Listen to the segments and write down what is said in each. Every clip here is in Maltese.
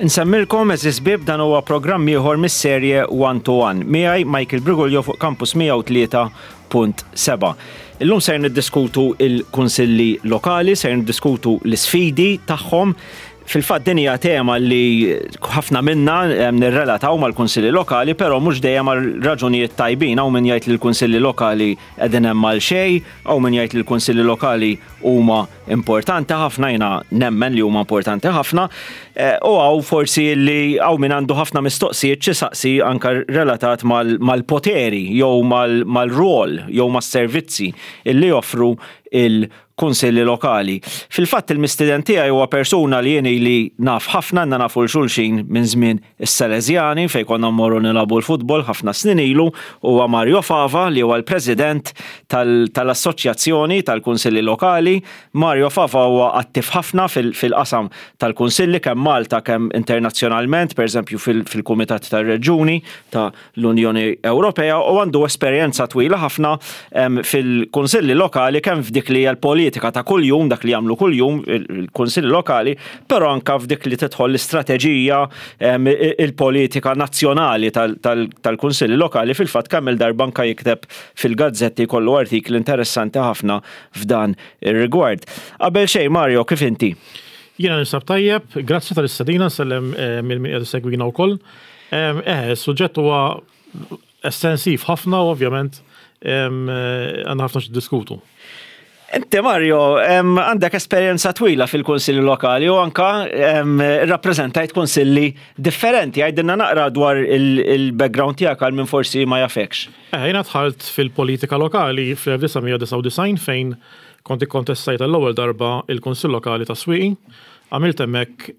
Insemmilkom eżis bib dan huwa programm ieħor mis-serje One to One. Miegħi Michael Briguglio fuq Campus 103.7. Illum ser niddiskutu il-kunsilli lokali, ser niddiskutu l-isfidi tagħhom. Fil-fatt din hija tema li ħafna minna nirrelataw mal-kunsilli lokali, però mhux dejjem għal raġunijiet tajbin. Hawn min jgħid li l-kunsilli lokali qegħdin hemm għal xejn, hawn min jgħid li l-kunsilli lokali huma importanti ħafna, jiena nemmen li huma importanti ħafna, eh, u għaw forsi li għaw min għandu ħafna mistoqsijiet xi saqsi anka relatat mal-poteri jew mal-rol jew mas-servizzi illi joffru il-kunsilli lokali. Fil-fatt il-mistiden tiegħi huwa persuna li jien li naf ħafna, għandna nafu l-xulxin minn żmien is-Salesjani fejn konna mmorru nilagħbu l-futbol ħafna snin ilu huwa Mario Fava li huwa l-President tal-Assoċjazzjoni tal-Kunsilli Lokali. Mario Fava huwa attiv ħafna fil-qasam tal-kunsilli kemm Malta kemm internazzjonalment, pereżempju fil-Kumitat tar-Reġjuni ta' l-Unjoni Ewropea u għandu esperjenza twila ħafna fil-kunsilli lokali kemm f'dik li hija l-politika ta' kuljum, dak li jagħmlu kuljum il-kunsilli lokali, però anka f'dik li tidħol l-istrateġija il-politika nazzjonali tal-kunsilli lokali fil-fatt kemm il-darba anka jikteb fil-gazzetti jkollu artikli interessanti ħafna f'dan ir-rigward. Qabel xejn Mario, kif inti? Jiena ninsab tajjeb, grazzi tal-istedina, nsellem eh, minn min qiegħed isegwina wkoll. Eh, suġġett huwa estensiv ħafna u ovvjament għandna ħafna x'diskutu. Inti Mario, għandek esperjenza twila fil-kunsilli lokali u anka rappreżentajt kunsilli differenti. Għidilna naqra dwar il-background tiegħek għal min forsi ma jafekx. Eh, jiena dħalt fil-politika lokali fl-1999 fejn kont ikkontestajt għall-ewwel darba il-Kunsill Lokali ta' Swieqi. Għamilt hemmhekk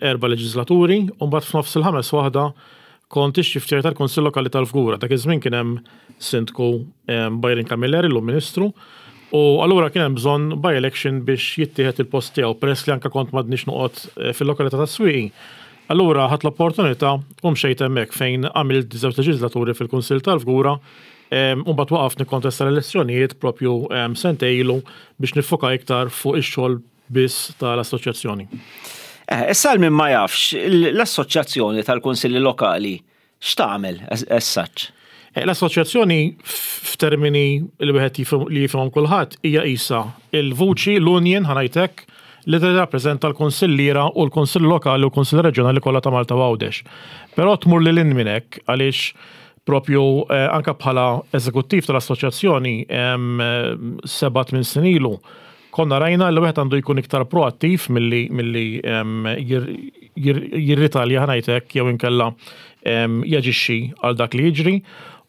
erba' leġislaturi u mbagħad f'nofs il-ħames waħda kont ix-Chief Chair tal-Kunsill Lokali tal-Fgura. Dak iż-żmien kien hemm Sindku Byron Camilleri, llum Ministru, u allura kien hemm bżonn by-election biex jittieħed il-post tiegħu peress li anke kont m'għadnix noqgħod fil-lokalità tas-Swieqi. Allura ħadt l-opportunità u mxejt hemmhekk fejn għamilt żewġ leġislaturi fil-Kunsill tal-Fgura u mbagħad waqaft nikkontesta l-elezzjonijiet propju sentejn ilu biex niffoka iktar fuq ix-xogħol biss tal-assoċjazzjoni. Eh, issa għal min ma jafx, l-assoċjazzjoni tal-Kunsilli Lokali x'tagħmel as such? Eh, l-assoċjazzjoni f'termini li wieħed li jifhimhom kulħadd hija qisha il-vuċi l-union ħanajtek li tirrappreżenta l-kunsilliera u l-kunsill lokali u l-kunsill reġjonali kollha ta' Malta u Għawdex. Però tmur lil hinn minn hekk għaliex propju eh, anka bħala eżekuttiv tal-assoċjazzjoni 7-8 snin ilu Konna rajna li wieħed għandu jkun iktar proattiv milli milli jirritalja ħa ngħid hekk jew inkella jaġixxi għal dak li jiġri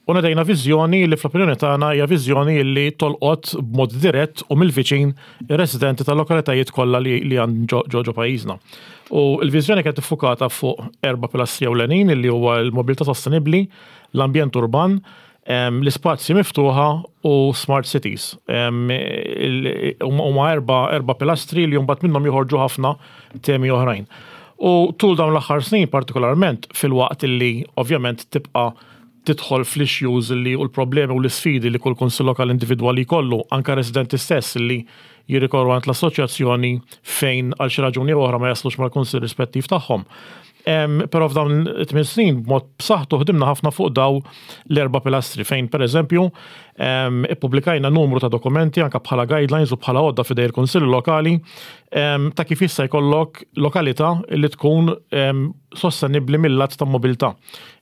u nedejna viżjoni li fl-opinjoni tagħna hija viżjoni li tolqot b'mod dirett u mill-viċin ir-residenti tal-lokalitajiet kollha li li għand ġo ġo pajjiżna. U l-viżjoni kienet iffukata fuq erba' pilastri ewlenin li huwa l-mobilità sostenibbli, l-ambjent urban, l-ispazji miftuħa u smart cities. Huma erba, erba pilastri li mbagħad minnhom joħorġu ħafna temi oħrajn. U tul dawn l-aħħar snin partikolarment filwaqt li ovvjament tibqa' tidħol fl-issues li u l-problemi u l-isfidi li kull kunsill lokali individwali jkollu, anka residenti stess li jirrikorru għand l-assoċjazzjoni fejn għal xi raġuni oħra ma jaslux mal-kunsill rispettiv tagħhom. Però f'dawn it-tmien snin b'mod b'saħħtu ħdimna ħafna fuq daw l-erba' pilastri fejn pereżempju ippubblikajna numru ta' dokumenti anke bħala guidelines u bħala għodda f'idej il-kunsilli lokali ta' kif jista' jkollok lokalità li tkun sostenibbli mil-lat ta' mobilità.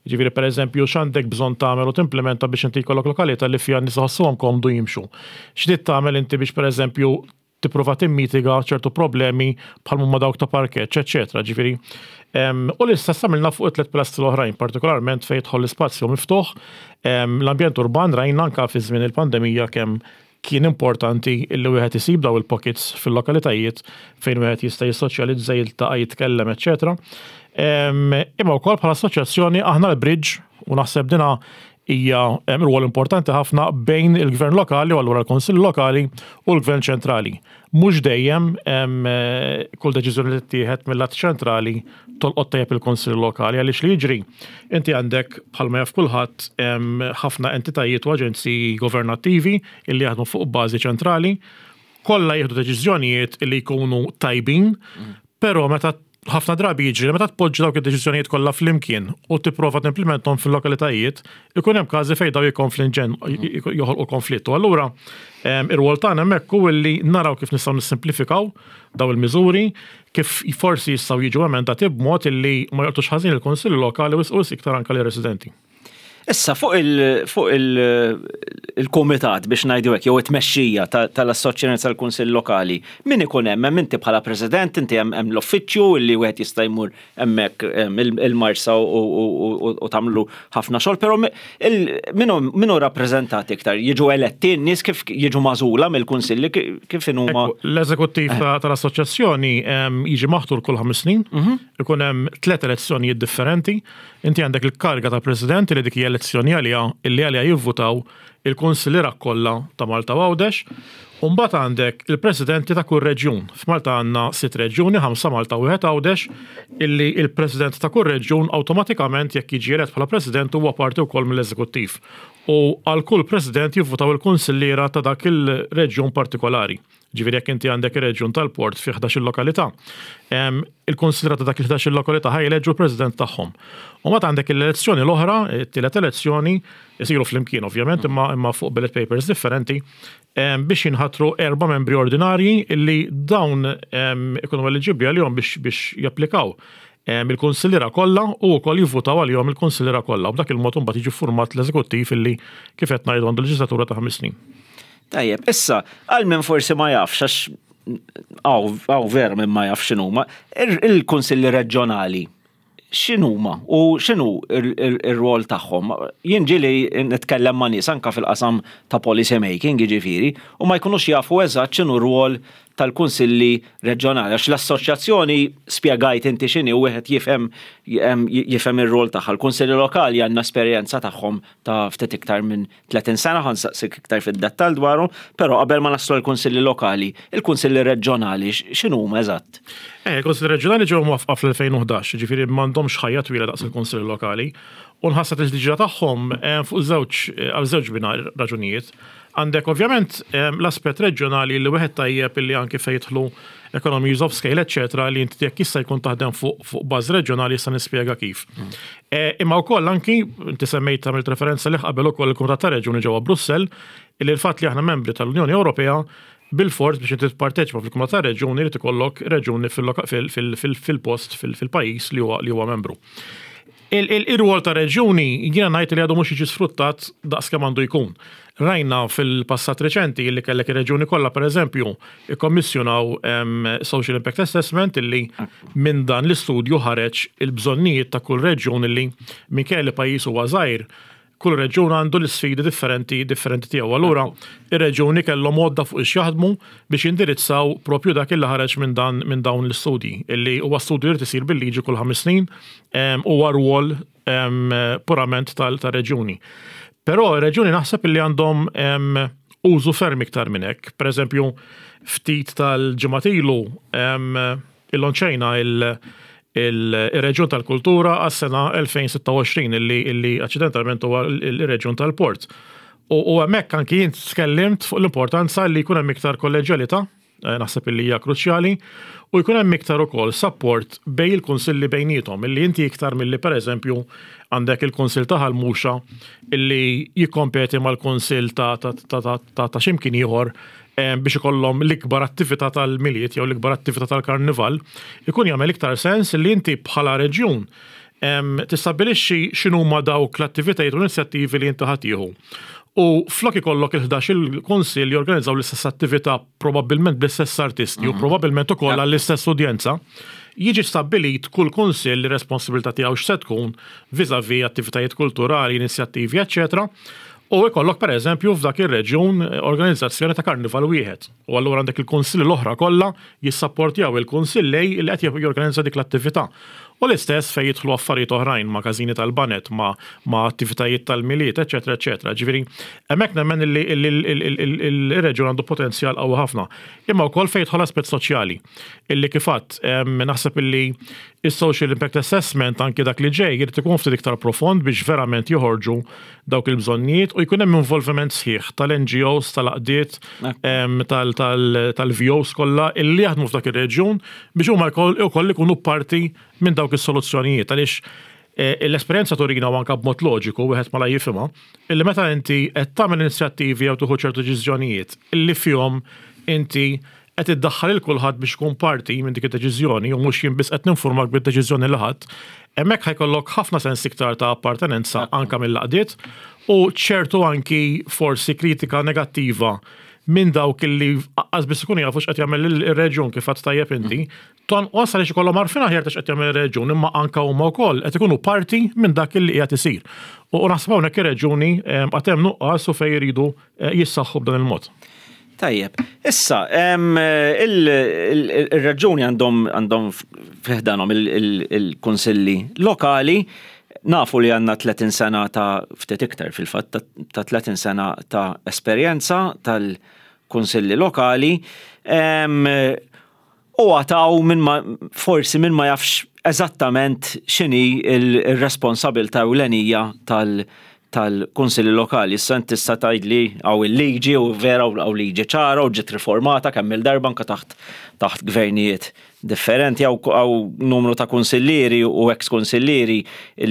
Jiġifieri pereżempju x'għandek bżonn tagħmel u timplementa biex inti jkollok lokalità li fiha n-nies iħossuhom komdu jimxu. X'trid tagħmel inti biex pereżempju tipprova timmitiga ċertu problemi bħal huma dawk ta' parkeġġ, eċċetera. Ġifieri, u l-istess għamilna fuq it-tliet pilastri l-oħrajn, partikolarment fejn jidħol l-ispazju miftuħ, l-ambjent urban rajna anke fi żmien il-pandemija kemm kien importanti li wieħed isib daw il-pockets fil-lokalitajiet fejn wieħed jista' jissoċjalizza, jiltaqa', jitkellem, eċċetera. Imma wkoll bħala assoċjazzjoni aħna l-bridge u naħseb dina hija rwol importanti ħafna bejn il-gvern lokali u allura l-Kunsill Lokali u l-gvern ċentrali. Mhux dejjem kull deċiżjoni li tittieħed mill-att ċentrali tolqot tajjeb il-Kunsill Lokali għaliex li jiġri inti għandek bħalma jaf kulħadd ħafna entitajiet u aġenziji governattivi illi jaħdmu fuq bażi ċentrali, kollha jieħdu deċiżjonijiet li jkunu tajbin, però meta Ħafna drabi jiġri li meta tpoġġi dawk id-deċiżjonijiet kollha flimkien u tipprova timplimenthom fil-lokalitajiet, ikun hemm każi fejn daw jikkonflinġen joħolqu konflitt. U allura ir-rwol tagħna hemmhekk hu li naraw kif nistgħu nissimplifikaw daw il-miżuri, kif forsi jistgħu jiġu emendati b'mod illi ma jolqtux ħażin il-kunsilli lokali wisq wisq iktar anke lir-residenti. Issa fuq il-kumitat biex ngħidu hekk jew it-tmexxija tal-Assoċjazzjoni tal-Kunsill Lokali, min ikun hemm? Hemm inti bħala President, inti hemm l-uffiċċju li wieħed jista' jmur hemmhekk il-Marsa u tagħmlu ħafna xogħol, però min hu rappreżentat iktar? Jiġu eletti n-nies kif jiġu magħżula mill-kunsilli kif inhuma? L-eżekuttiv tal-assoċjazzjoni jiġi maħtur kull ħames snin, ikun hemm tliet elezzjonijiet differenti. Inti għandek il-kariga ta' President li dik hija elezzjoni għaliha illi għaliha jivvutaw il-kunsilliera kollha ta' Malta u Għawdex, u mbagħad għandek il-Presidenti ta' kull reġjun. F'Malta għandna sitt reġjuni, ħamsa Malta u wieħed Għawdex, illi il-President ta' kull reġjun awtomatikament jekk jiġi elett bħala President huwa parti wkoll mill-eżekuttiv. U għal kull President jivvutaw il-kunsilliera ta' dak il-reġjun partikolari. Ġifieri jekk inti għandek ir-reġjun tal-port fi 11-il lokalità, il-kunsilliera ta' dak il-11-il lokalità ħa jeleġġu l-president tagħhom. U mbagħad għandek l-elezzjoni l-oħra, it-tielet elezzjoni, isiru flimkien ovvjament, imma imma fuq ballot papers differenti, biex jinħatru erba' membri ordinarji illi dawn ikunu eliġibbli għalihom biex biex japplikaw il-kunsilliera kollha u wkoll jivvutaw għalihom il-kunsilliera kollha. U b'dak il-mod imbagħad jiġi ffurmat l-eżekuttiv illi kif qed ngħidu għandu leġislatura ta' ħames snin. Tajjeb, issa, għal min forsi ma jafx, għax għaw vera minn ma jafx x'inhuma, il-kunsilli reġjonali x'inhuma u x'inhu ir-rwol tagħhom. Jien ġieli nitkellem ma' nies anka fil-qasam ta' policy making, jiġifieri, u ma jkunux jafu eżatt x'inhu r-rwol tal-kunsilli reġjonali għax l-assoċjazzjoni spjegajt inti x'inhi u wieħed jifhem jifhem ir-rwol tagħha. Il-kunsilli lokali għandna esperjenza tagħhom ta' ftit iktar minn 30 sena, ħa nsaqsik iktar fid-dettall dwarhom, però qabel ma naslu għall-kunsilli lokali, il-kunsilli reġjonali x'inhuma eżatt? Eh, il-kunsilli reġjonali ġew mwaffqa fl-2011, ġifieri m'għandhomx ħajja twila daqs il-kunsilli lokali, u nħasset il-ġdida tagħhom eh, fuq żewġ eh, għal żewġ bina raġunijiet. Għandek ovvjament l-aspett reġjonali li wieħed tajjeb illi anki fejn jidħlu economies of scale, eccetera, li inti jekk jista' jkun taħdem fuq fuq bażi reġjonali jista' nispjega kif. Eh, imma wkoll anki, inti semmejt għamilt referenza li qabel ukoll il-Kumitat ta' Reġjuni ġewwa Brussell, illi l-fatt li aħna membri tal-Unjoni Ewropea bil-fors biex inti tipparteċipa fil-Kumitat ta' Reġjuni li ikollok reġjuni fil-post fil-pajjiż li huwa membru. Ir-rwol ta' reġjuni jiena ngħid li għadu mhux jiġi sfruttat daqs kemm għandu jkun. Rajna fil-passat reċenti li kellek ir-reġjuni kollha pereżempju ikkommissjonaw Social Impact Assessment illi minn dan l-istudju ħareġ il-bżonnijiet ta' kull reġjun illi minkejja li pajjiż huwa żgħir, kull reġjun għandu l-isfidi differenti differenti tiegħu. Allura, ir-reġjuni kellhom għodda fuq ix jaħdmu biex jindirizzaw propju dak illi ħareġ minn dan minn dawn l-istudji, illi huwa studju li jrid isir bil-liġi kull ħames snin huwa rwol purament tal-reġjuni. Però ir-reġjuni naħseb illi għandhom użu ferm iktar minn hekk. Per eżempju, ftit tal-ġimgħat ilu illonċejna il-reġjun tal-kultura għas-sena 2026 illi aċċidentalment huwa il-reġjun tal-port. U hemmhekk anki jien tkellimt fuq l-importanza li jkun hemm iktar kolleġjalità Eh, naħseb illi hija kruċjali, u jkun hemm iktar ukoll support bejn il-kunsilli bejniethom, illi inti iktar milli pereżempju għandek il-kunsill ta' Ħal Muxa illi jikkompeti mal-kunsill ta' ta' x'imkien ieħor eh, biex ikollhom l-ikbar attività tal-Milied jew l-ikbar attività tal-Karnival, ikun jagħmel iktar sens li inti bħala reġjun tistabbilixxi x'inhuma dawk l-attivitajiet u l-inizjattivi li inti ħa tieħu. U flok ikollok il-11 il-kunsill jorganizzaw l-istess attività probabbilment bl-istess artisti u mhm. probabbilment ukoll għall-istess udjenza, jiġi stabbilit kull kunsill li responsabilità tiegħu x'se tkun vis-à-vis attivitajiet kulturali, inizjattivi, eċċetera. U ikollok pereżempju f'dak ir-reġjun organizzazzjoni ta' karnival wieħed. U allura għandek il-kunsilli l-oħra kollha jissapportjaw il-kunsill A li qed jorganizza dik l-attività. U l-istess fejn jidħlu affarijiet oħrajn ma' każini tal-baned, ma' ma' attivitajiet tal-Milied, eċċetera eċċetera. Ġifieri, hemmhekk nemmen illi ir-reġjun għandu potenzjal qawwi ħafna. Imma wkoll fejn jidħol aspett soċjali, illi kif għedt, naħseb illi Is-social impact assessment anki dak li ġej irid ikun ftit iktar profond biex verament joħorġu dawk il-bżonnijiet u jkun hemm involviment sħiħ tal-NGOs, tal-għaqdiet, tal-VOs kollha illi jaħdmu f'dak ir-reġjun biex huma wkoll ikunu parti minn dawk is-soluzzjonijiet għaliex l-esperjenza turina u anke b'mod loġiku wieħed malajr jifhimha illi meta inti qed tagħmel inizjattivi jew tieħu ċertu deċiżjonijiet illi fihom inti qed iddaħħal lil kulħadd biex ikun parti minn dik id-deċiżjoni u mhux jien biss qed ninfurmak bid-deċiżjoni li ħadt, hemmhekk ħa jkollok ħafna sens iktar ta' appartenenza anke mill-għaqdiet u ċertu anki forsi kritika negattiva minn dawk illi aqqas biss ikunu jafu x'qed jagħmel ir-reġjun kif għedt tajjeb inti, tonqos għaliex ikollhom għarfien aħjar ta' x'qed jagħmel ir-reġjun imma anke huma wkoll qed ikunu parti minn dak illi qiegħed isir. U naħseb hawnhekk ir-reġjuni għad hemm nuqqas u fejn iridu jissaħħu b'dan il-mod. Tajjeb. Issa, il-reġjuni għandhom għandhom fi ħdanhom il-kunsilli lokali. Nafu li għandna 30 sena ta' ftit iktar fil-fatt ta' 30 sena ta' esperjenza tal-kunsilli lokali. U għataw minn ma forsi minn ma jafx eżattament x'inhi r-responsabilità ewlenija tal tal-kunsilli lokali. Issa inti tista' tgħidli hawn il-liġi u vera hawn liġi ċara u ġiet riformata kemm il-darba anke taħt taħt gvernijiet differenti hawn numru ta' kunsillieri u ex kunsillieri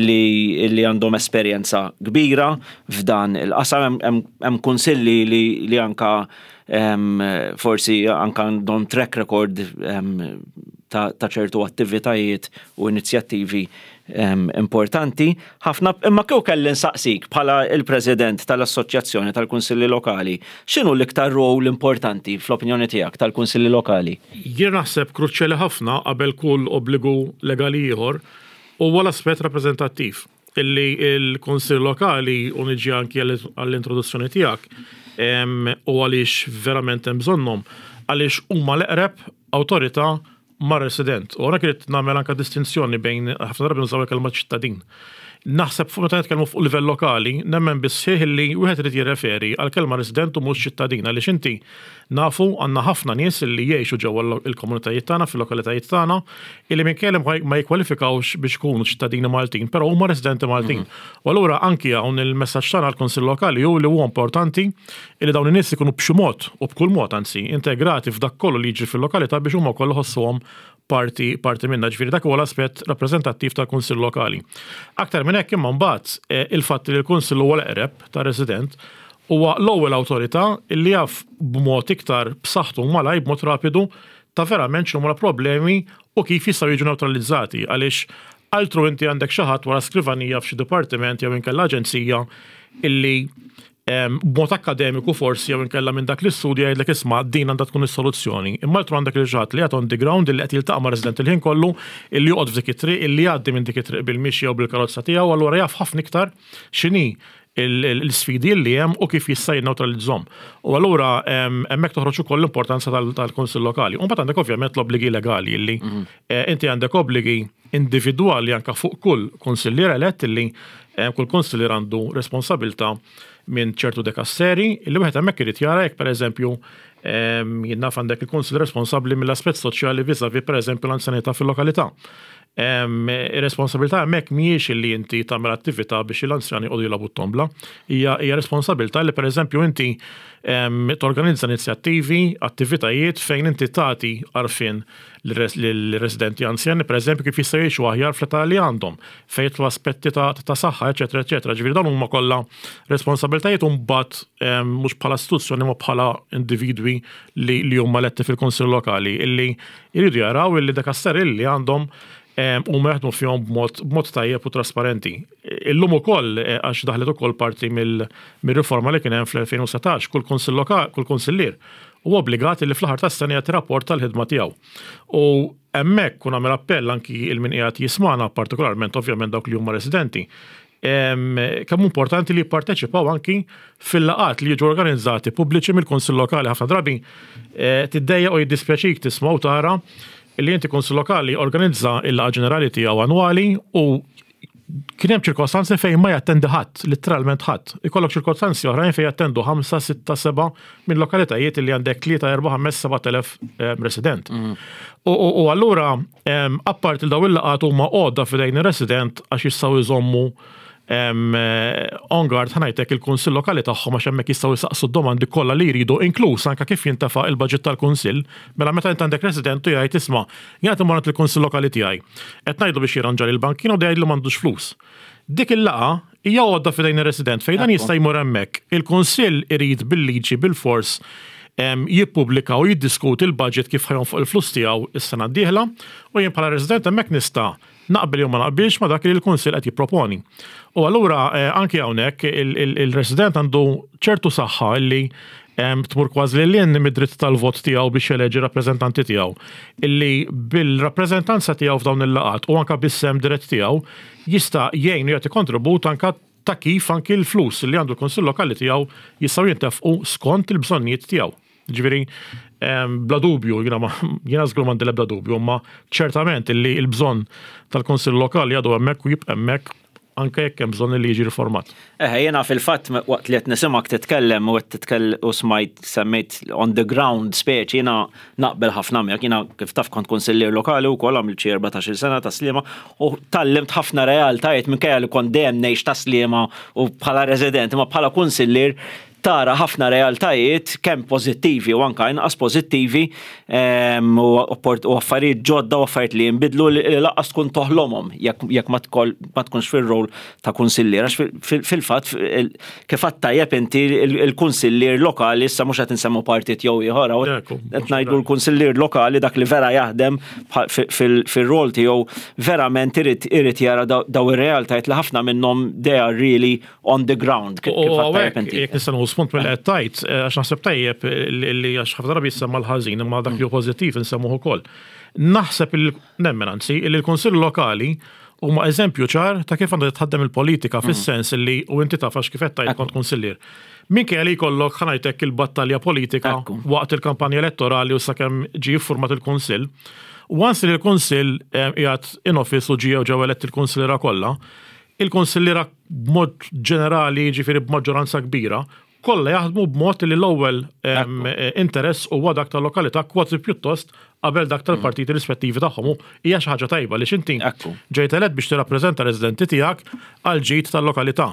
li li għandhom esperjenza kbira f'dan il-qasam hemm kunsilli li li anka forsi anka għandhom track record ta' ċertu attivitajiet u inizjattivi importanti. Ħafna, imma kieku kelli nsaqsik bħala il-President tal-Assoċjazzjoni tal-Kunsilli Lokali, x'inhu l-iktar role importanti fl-opinjoni tiegħek tal-Kunsilli Lokali? Jien naħseb kruċjali ħafna qabel kull obbligu legali ieħor huwa l-aspett rappreżentattiv. Illi l-Kunsill Lokali, u niġi anki għall-introduzzjoni tiegħek, u għaliex verament hemm bżonnhom, għaliex huma l-eqreb awtorità mar-resident. U hawnhekk irid nagħmel anke distinzjoni bejn ħafna drabi nużaw il-kelma ċittadin. Naħseb fuq meta nitkellmu fuq livell lokali, nemmen bis-sħiħ illi wieħed irid jirreferi għall-kelma resident u mhux ċittadin għaliex inti Nafu, għandna ħafna nies li jgħixu ġewwa l-komunitajiet tagħna, fil-lokalitajiet tagħna, illi minkejja li ma jikkwalifikawx biex ikunu ċittadini Maltin, però huma residenti Maltin. U allura anki hawn il-messaġġ tagħna għall-Kunsill Lokali hu li huwa importanti illi dawn in-nies ikunu b'xi mod, u b'kull mod anzi, integrati f'dak kollu li jiġri fil-lokalità biex huma wkoll iħossuhom parti parti minnha. Ġifieri dak huwa l-aspett rappreżentattiv tal-Kunsill Lokali. Aktar minn hekk imma mbagħad il-fatt li l-Kunsill huwa l-eqreb tar-resident Huwa l-ewwel awtorità li jaf b'mod iktar b'saħħtu u malajr, b'mod rapidu, ta' verament x'inhuma l-problemi u kif jistgħu jiġu newtralizzati għaliex altru inti għandek xi ħadd wara skrivanija f'xi dipartiment jew inkella aġenzija illi b'mod akkademiku forsi jew inkella minn dak l-istudju jgħidlek isma' din għandha tkun is-soluzzjoni. Imma altru għandek lil xi ħadd li qiegħed on the ground illi qed jiltaqa' mar-resident il-ħin kollu, illi joqgħod f'dik it-triq, illi jgħaddi minn dik it-triq bil-mixi jew bil-karozza tiegħu, allura jaf ħafna iktar x'inhi l-isfidi li hemm u kif jista' jinnewtralizzhom. U allura hemmhekk toħroġ ukoll l-importanza tal-Kunsill Lokali. U mbagħad għandek ovvjament l-obbligi legali li mhm. eh, inti għandek obbligi individwali anke fuq kull kunsillier elett li eh, kull kunsillier għandu responsabilità minn ċertu dekasseri li wieħed hemmhekk irid jara jekk pereżempju jien naf għandek il-kunsill responsabbli mill-aspett soċjali vis-a-vis pereżempju l-anzjanità fil-lokalità. Ir-responsabilità hemmhekk mhijiex li inti tagħmel attività biex l-anzjani jqogħdu jilagħbu t-tombla. Hija hija responsabilità li pereżempju inti torganizza inizjattivi, attivitajiet fejn inti tagħti għarfien lir-residenti anzjani pereżempju kif jistgħu jgħixu aħjar fl-età li għandhom, fejn jidħlu aspetti ta' saħħa, eċetera, eċetera. Ġifieri dawn huma kollha responsabilitajiet u mbagħad mhux bħala istituzzjoni imma bħala individwi li huma eletti fil-Kunsill Lokali illi Iridu jaraw illi dak as-seril li għandhom huma jaħdmu fihom b'mod tajjeb u trasparenti. Illum ukoll għax daħlet ukoll parti mill-riforma li kien hemm fl-2019, kull kunsill lokali, kull kunsillier huwa obbligat li fl-aħħar tas-sena jagħti rapport tal-ħidma tiegħu. U hemmhekk u nagħmel appell anki il min qiegħed jismagħna, partikolarment ovvjament dawk li huma residenti, kemm hu importanti li jipparteċipaw anki fil-laqgħat li jiġu organizzati pubbliċi mill-Kunsill Lokali. Ħafna drabi eh, tiddejja u jiddispjaċik tisma' u tara li inti Kunsill Lokali organizza il-laqgħa ġenerali tiegħu annwali u Kien hemm ċirkostanzi fejn ma jattendi ħadd, litteralment ħadd. Ikollok ċirkostanzi oħrajn fejn jattendu 5, 6, 7 minn lokalitajiet li għandek 3, 4, 5, 7,000 resident. U allura, apparti li daw il-laqgħat huma għodda f'idejn ir-resident għax jistgħu jżommu on guard, ħa ngħidlek, il-kunsill lokali tagħhom, għax hemmhekk jistgħu jsaqsu d-domandi kollha li jridu, inkluż anke kif jintefa' il-budget tal-kunsill. Mela meta int għandek resident u jgħid, "Isma', jien qed immur il-kunsill lokali tiegħi. Qed ngħidlu biex jirranġa l-bankina u jgħidlu m'għandux flus." Dik il-laqgħa hija għodda f'idejn ir-resident fejn dan jista' jmur hemmhekk. Il-kunsill irid bil-liġi bil-fors jippubblika u jiddiskuti l-budget, kif ħa jonfoq il-flus tiegħu is-sena d-dieħla, u jien bħala resident hemmhekk nista' naqbel jew ma naqbilx ma dak li l-kunsill qed jipproponi. U allura anki hawnhekk il-resident għandu ċertu saħħa li tmur kważi lil hinn mid-dritt tal-vot tiegħu biex jeleġi rappreżentanti tiegħu, illi bil-rappreżentanza tiegħu f'dawn il-laqgħat u anka bis-sehem dirett tiegħu jista' jgħin u jagħti kontribut anka ta' kif anki l-flus li għandu l-kunsill lokali tiegħu jistgħu jintefqu skont il-bżonnijiet tiegħu. Ġifieri, bla dubju, jiena żgur m'għandi l-ebda dubju, imma ċertament illi l-bżonn tal-kunsill lokali għadu hemmhekk u jibqa' hemmhekk anke jekk hemm bżonn li jiġi riformat. Eħe, jiena fil-fatt waqt li qed nisimgħek titkellem u qed titkellem u smajt semmejt on the ground speċi, jiena naqbel ħafna miegħek. Jiena, kif taf, kont kunsillier lokali wkoll, għamilt xi 14-il sena ta' Sliema u tgħallimt ħafna realtajiet, minkejja li kont dejjem ngħix ta' Sliema u bħala resident, imma bħala kunsillier tara ħafna realtajiet kemm pożittivi u anka inqas pożittivi u affarijiet ġodda u affarijiet li jinbidlu li lanqas tkun toħlomhom jekk ma tkunx fir-rol ta' kunsillier. Għax fil-fatt, kif għedt tajjeb inti, il-kunsillier lokali, issa mhux qed insemmu partit jew ieħor, qed ngħidu l-kunsillier lokali, dak li vera jaħdem fil-rol tiegħu, verament irid jara daw ir-realtajiet li ħafna minnhom they are really on the ground. Kif jekk nista' nieħu spunt mill qed tgħid, għax naħseb tajjeb li għax ħafna drabi jissemma l-ħażin, imma dak li hu pożittiv insemmuh ukoll. Naħseb, nemmen anzi, li l-Kunsill Lokali huma eżempju ċar ta' kif għandha titħaddem il-politika, fis-sens li, u inti taf għax kif qed tgħid kont kunsillier. Minkejja li jkollok, ħa ngħidlek, il-battalja politika waqt il-kampanja elettorali u sakemm ġie iffurmat il-Kunsill, once li l-Kunsill qiegħed in office u ġie ġew eletti il-kunsilliera kollha, il-kunsilliera b'mod ġenerali, ġifieri b'maġġoranza kbira, kollha jaħdmu b'mod li l-ewwel interess huwa dak tal-lokalità kważi pjuttost qabel dak tal-partiti rispettivi tagħhom. U hija xi ħaġa tajba li x'inti ġejt elett biex tirrappreżenta residenti tiegħek għal ġid tal-lokalità.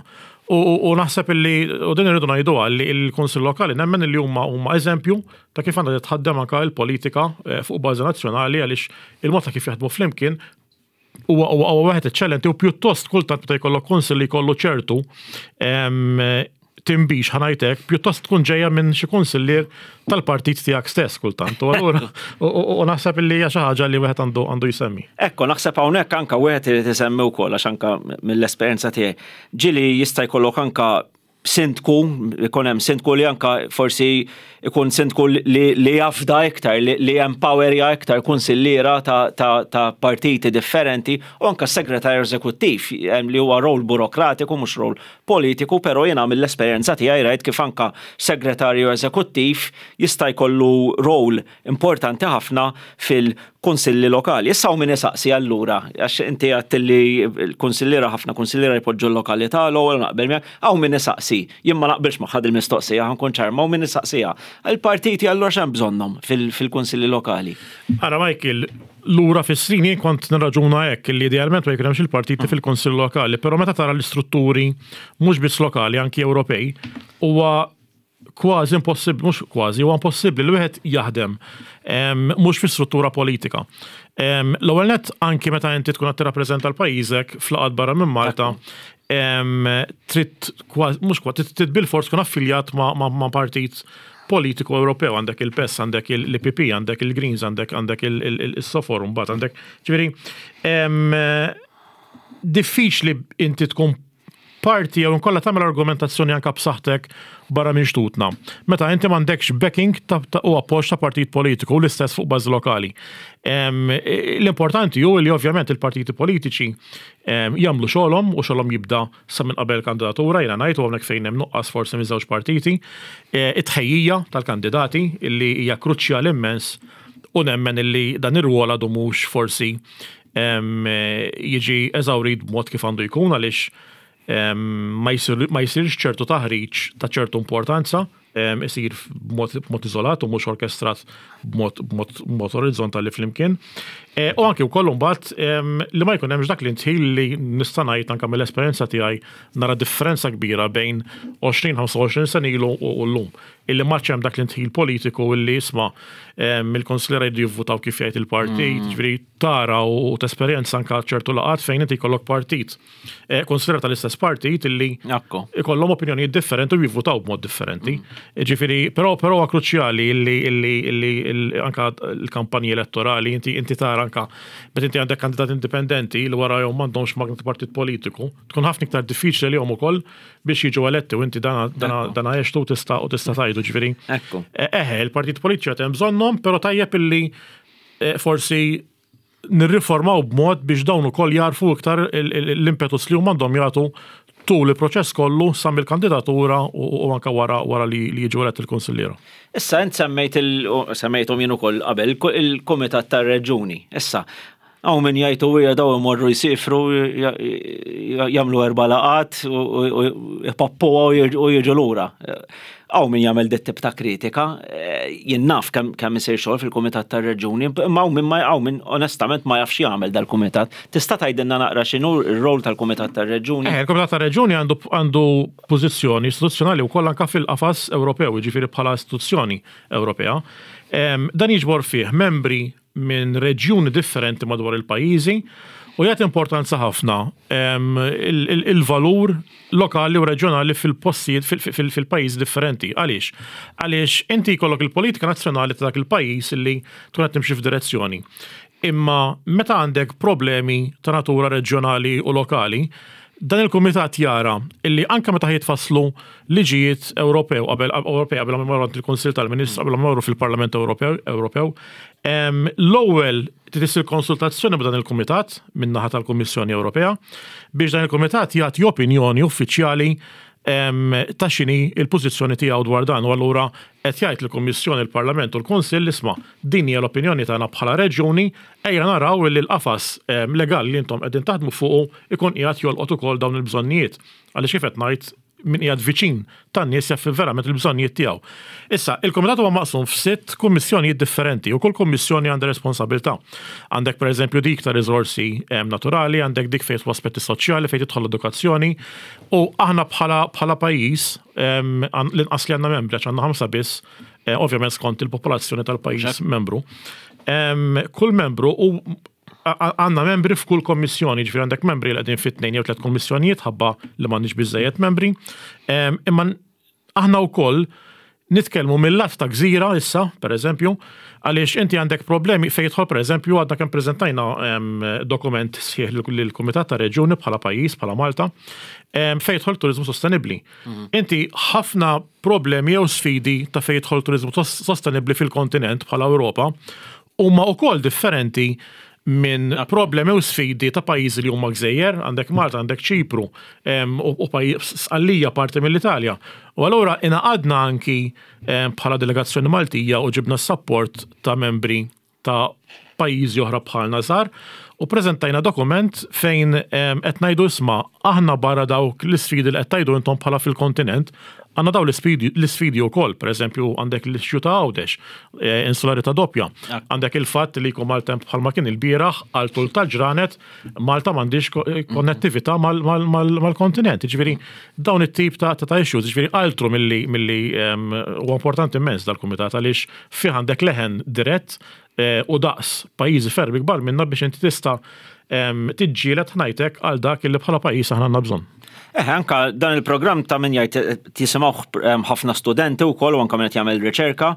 U naħseb illi, u din irridu ngħiduha, li l-Kunsill Lokali nemmen li huma eżempju ta' kif għandha titħaddem anke l-politika fuq bażi nazzjonali, għaliex il-mod ta' kif jaħdmu flimkien huwa wieħed eċċellenti u pjuttost kultant meta jkollok kunsill li jkollu ċertu timbix, ħa ngħidlek, pjuttost tkun ġejja minn xi kunsillier tal-partit tiegħek stess kultant. U allura u naħseb li hija xi ħaġa li wieħed għandu jsemmi. Ekku, naħseb hawnhekk anka wieħed irid isemmi wkoll, għax anka mill-esperjenza tiegħi ġieli jista' jkollok anka sindku, ikun hemm sindku li anka forsi ikun sindku li jafda iktar, li empowerja iktar kunsilliera ta' partiti differenti u anka segretarju eżekuttiv li huwa rol burokratiku, mhux rol politiku, però jiena mill-esperjenza tiegħi rajt kif anka segretarju eżekuttiv jista' jkollu rol importanti ħafna fil-kunsilli lokali. Issa hawn min isaqsi allura, għax inti għedt li l-kunsilliera, ħafna kunsilliera jpoġġu l-lokalità l-ewwel, naqbel miegħek, hawn min isaqsi, jien ma naqbilx ma' il-mistoqsija, ħa nkun ċar, ma hawn min isaqsija: il-partiti allura x'hemm bżonnhom fil-kunsilli lokali? Ara Michael, lura fis-snin jien kont nirraġuna hekk, li idealment ma jkun hemmx il-partiti fil-kunsill lokali, però meta tara l-istrutturi mhux biss lokali, anki Ewropej, huwa kważi impossibbli, mhux kważi, huwa impossibbli li wieħed jaħdem mhux fi struttura politika. L-ewwel net, anki meta inti tkun qed tirrappreżenta l-pajjiżek f'laqgħat barra minn Malta, trid kważi, mhux kważi, trid bil-fors tkun affiljat ma' partit politiku Ewropew, għandek il-PES, għandek l-IPP, għandek il-Greens, għandek il-Sofor, mbagħad għandek, ġifieri, diffiċli inti tkun parti jew inkolla tagħmel argumentazzjoni anka b'saħħtek barra minn xtutna meta inti m'għandekx backing u appoġġ ta' partit politiku, l-istess fuq bażi lokali. L-importanti hu li ovvjament il-partiti politiċi jagħmlu xogħolhom, u xogħolhom jibda sa minn qabel kandidatura, jiena ngħid, u hawnhekk fejn hemm nuqqas forsi minn żewġ partiti, it-tħejjija tal-kandidati illi hija kruċjali immens, u nemmen illi dan ir-rwol għadu mhux forsi jiġi eżawrit b'mod kif għandu jkun għaliex ma jsirx ċertu taħriġ ta' ċertu importanza, isir b'mod iżolat u mhux orkestrat b'mod orizzontali flimkien. E, u anki wkoll imbagħad li ma jkun hemmx dak l-intħil li nista' ngħid anke mill-esperjenza tiegħi nara differenza kbira bejn 20-25 sena ilu u llum. Illi ma hemm dak l-intħil politiku illi isma' il-konsilera jridu jivvutaw kif jgħid il-partit, ġifieri tara u tesperjenza anke ċertu laqgħat fejn inti jkollok partit. Eh, konsidera tal-istess partit illi ikollhom opinjonijiet differenti u jivvutaw b'mod differenti. Mm. Ġifieri, però però huwa kruċjali illi illi illi anka l-kampanji elettorali inti inti tara anka meta inti għandek kandidat indipendenti li wara jom m'għandhomx magna ta' partit politiku, tkun ħafna iktar diffiċli li jom ukoll biex jiġu eletti u inti dana dana għextu tista' u tista' tgħidu ġifieri. Eħe, eh, il-partit politiċi qed hemm bżonnhom, però tajjeb illi eh, forsi nirriformaw b'mod biex dawn ukoll jagħrfu iktar l-impetus li huma għandhom jagħtu tul il-proċess kollu sa mill-kandidatura u anke wara wara li jiġu eletti l-kunsilliera. Issa int semmejt semmejthom jien ukoll qabel il-Kumitat tar-Reġjuni. Issa hawn min jgħid u hija daw imorru jsifru jagħmlu erba' laqgħat u jpappuha u jiġu lura. Hawn min jagħmel dit tip ta' kritika, eh, jien naf kemm isir xogħol fil-Kumitat tar-Reġjuni, imma hawn min ma hawn min onestament ma jafx jagħmel dal-kumitat. Tista' tgħidilna naqra x'inhu r-rol tal-Kumitat tar-Reġjuni? Eh, il-Kumitat tar-Reġjuni għandu għandu pożizzjoni istituzzjonali wkoll anke fil-qafas Ewropew, jiġifieri bħala istituzzjoni Ewropea. Dan jiġbor fih membri minn reġjuni differenti madwar il-pajjiżi u jagħti importanza ħafna il-valur lokali u reġjonali fil-postijiet fil-pajjiżi differenti. Għaliex? Għaliex inti jkollok il-politika nazzjonali ta' dak il-pajjiż li tkun qed timxi f'direzzjoni. Imma meta għandek problemi ta' natura reġjonali u lokali, dan il-kumitat jara illi anke meta jitfasslu liġijiet Ewropew qabel Ewropej qabel ma jmorru il-Kunsill tal-Ministru qabel ma jmorru fil-Parlament Ewropew Ewropew l-ewwel trid issir konsultazzjoni ma' dan il-kumitat min-naħa tal-Kummissjoni Ewropea biex dan il-kumitat jagħti opinjoni uffiċjali ta' x'inhi l-pożizzjoni tiegħu dwar dan u allura qed jgħid lill-Kummissjoni, il-Parlament u l-Kunsill isma' din hija l-opinjoni tagħna bħala reġjuni ejja naraw li l-qafas legali li intom qegħdin taħdmu fuqu jkun qiegħed jolqot ukoll dawn il-bżonnijiet. Għaliex kif qed ngħid min qiegħed viċin tan-nies jaf verament il-bżonnijiet tiegħu. Issa, il-kumitat huwa maqsum f'sitt kummissjonijiet differenti u kull kummissjoni għandha responsabilità. Għandek pereżempju dik ta' riżorsi naturali, għandek dik fejn aspetti soċjali, fejn tidħol l-edukazzjoni u aħna bħala bħala pajjiż l-inqas li għandna membri għax għandna ħamsa biss, eh, ovvjament skont il-popolazzjoni tal-pajjiż membru. Kull membru u Għandna membri f'kull kommissjoni, ġifieri għandek membri li qegħdin fit-tnejn jew tliet kommissjonijiet ħabba li m'għandniex biżejjed membri. Imma aħna wkoll nitkellmu mill-lat ta' gżira issa, per eżempju, għaliex inti għandek problemi fejn jidħol per eżempju għadna kemm preżentajna dokument sħiħ lill-Kumitat ta' Reġjuni bħala pajjiż, bħala Malta, fejn jidħol turiżmu sostenibbli. Mhm. Inti ħafna problemi jew sfidi ta' fejn jidħol turiżmu sostenibbli fil-kontinent bħala Ewropa huma wkoll differenti minn problemi u sfidi ta' pajjiżi li huma gżejjer, għandek Malta, għandek Ċipru, u Sqallija parti mill-Italja. U allura ingħaqadna anki bħala delegazzjoni Maltija u ġibna s-sapport ta' membri ta' pajjiżi oħra bħalna żgħar u preżentajna dokument fejn qed ngħidu isma' aħna barra dawk l-isfidi li qed tgħidu intom bħala fil-kontinent, għandna dawn l-isfidi wkoll, pereżempju għandek l-issue ta' Għawdex, eh, insularità doppja. Għandek il-fatt li jkun maltemp bħalma kien il-bieraħ għal tul tal-ġranet Malta m'għandix eh, konnettività mal-kontinent. Ġifieri dawn it-tip ta' ta' issues, ġifieri altru milli milli ehm, huwa importanti immens dal-kumitat għaliex fih għandek leħen dirett eh, u daqs pajjiżi ferm ikbar minna biex inti tista' ehm, tiġġieled ħnajtek għal dak li bħala pajjiż aħna għandna bżonn. Eh, anka dan il-programm ta' min jgħid eh, tisimgħu eh, ħafna studenti wkoll u anka min qed jagħmel riċerka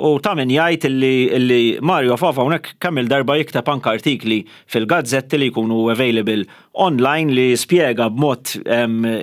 u ta' min jgħid illi Mario Fava hawnhekk kemm il-darba jikteb anka artikli fil-gazzetti li jkunu available online li spjega b'mod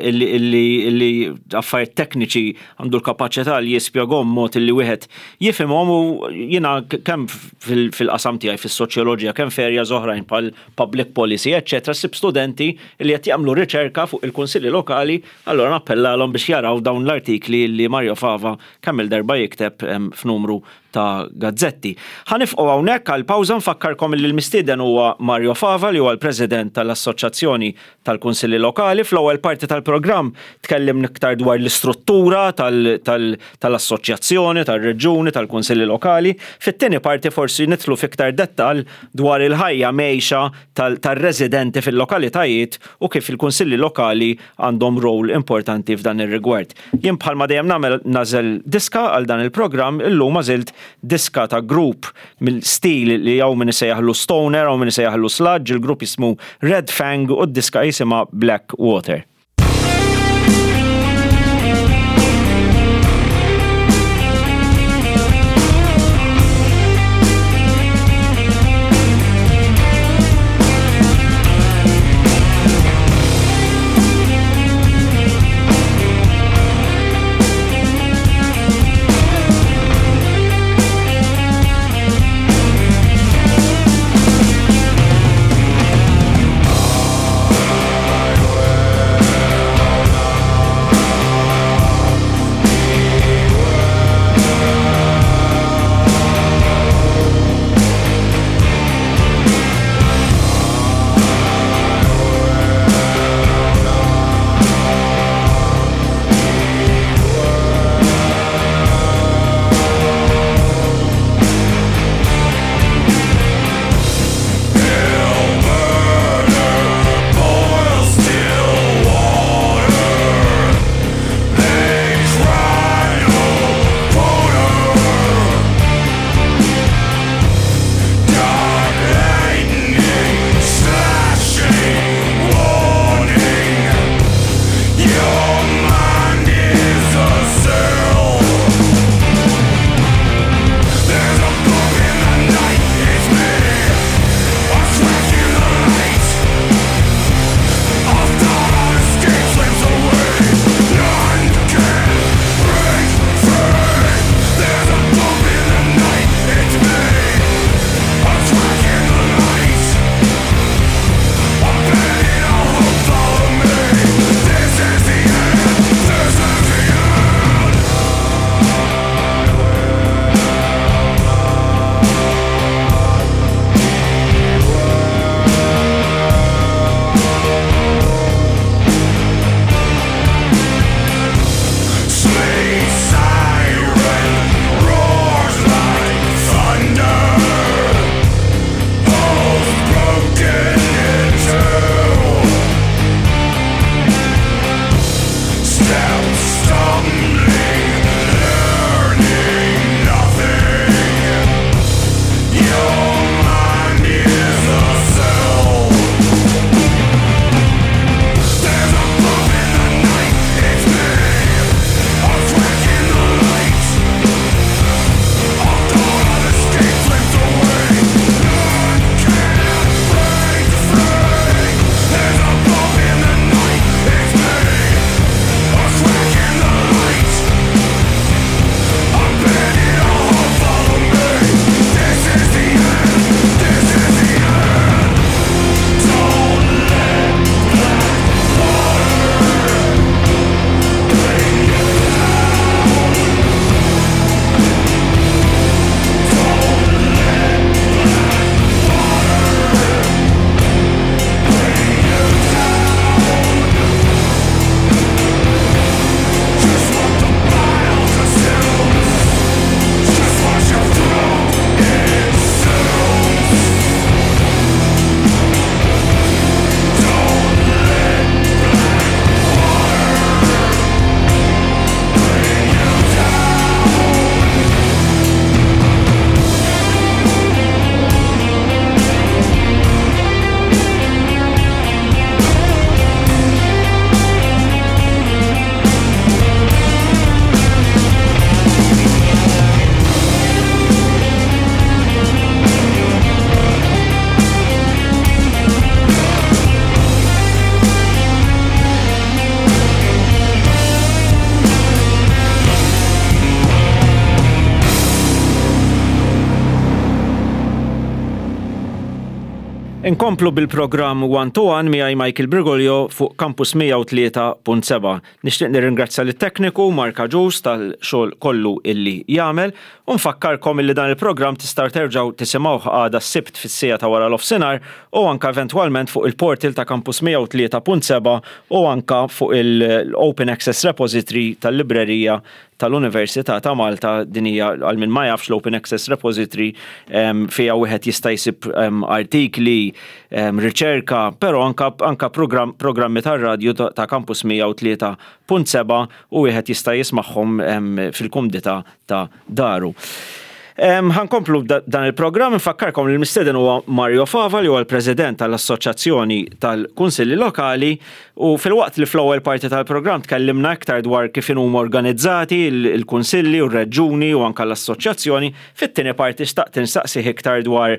illi affarijiet tekniċi għandu l-kapaċità li jispjegahom mod illi wieħed jifhimhom u jiena kemm fil-qasam tiegħi fis-soċjoloġija kemm f'areas oħrajn bħal public policy, eċċetera, ssib studenti li qed jagħmlu riċerka fuq il-kunsilli lokali, allura nappellalhom biex jaraw dawn l-artikli li Mario Fava kemm-il darba jikteb f'numru ta' gazzetti. Ħa nifqgħu hawnhekk għal pawża nfakkarkom li l-mistieden huwa Mario Fava li huwa l-President tal-Assoċjazzjoni tal-Kunsilli Lokali. Fl-ewwel parti tal-programm tkellimna iktar dwar l-istruttura tal-assoċjazzjoni, tar-reġjuni, tal-Kunsilli Lokali. Fit-tieni parti forsi nidħlu f'iktar dettall dwar il-ħajja mgħejxa tar-residenti fil-lokalitajiet u kif il-Kunsilli Lokali għandhom role importanti f'dan ir-rigward. Jien bħalma dejjem nagħmel nagħżel diska għal dan il-programm, illum għażilt diska ta' grupp mill-stil li hawn min isejjaħlu stoner, hawn min isejjaħlu sludge, il-grupp jismu Red Fang u d-diska jisimha Black Water. Inkomplu bil-programm One to One miegħi Michael Brigolio fuq Campus 103.7. Nixtieq nirringrazzja lit-tekniku Mark Agius tal-xogħol kollu illi jagħmel u nfakkarkom illi dan il-programm tistgħu terġgħu tisimgħuh għada s-Sibt fis-siegħa ta' wara nofsinhar u anke eventwalment fuq il-portal ta' Campus 103.7 u anke fuq il-Open Access Repository tal-Librerija tal-Università ta' Malta, din hija għal min ma jafx l-Open Access Repository fiha wieħed jista' jsib artikli, riċerka, però anka anka programmi tar-radju ta' Campus 103.7 u wieħed jista' jismagħhom fil-kumdità ta' daru. Ħankomplu dan il-programm, nfakkarkom li l-mistieden huwa Mario Fava li huwa l-President tal-Assoċjazzjoni tal-Kunsilli Lokali u filwaqt li fl-ewwel parti tal-programm tkellimna iktar dwar kif inhuma organizzati l-kunsilli u r-reġjuni u anke l-assoċjazzjoni, fit-tieni parti xtaqt insaqsih iktar dwar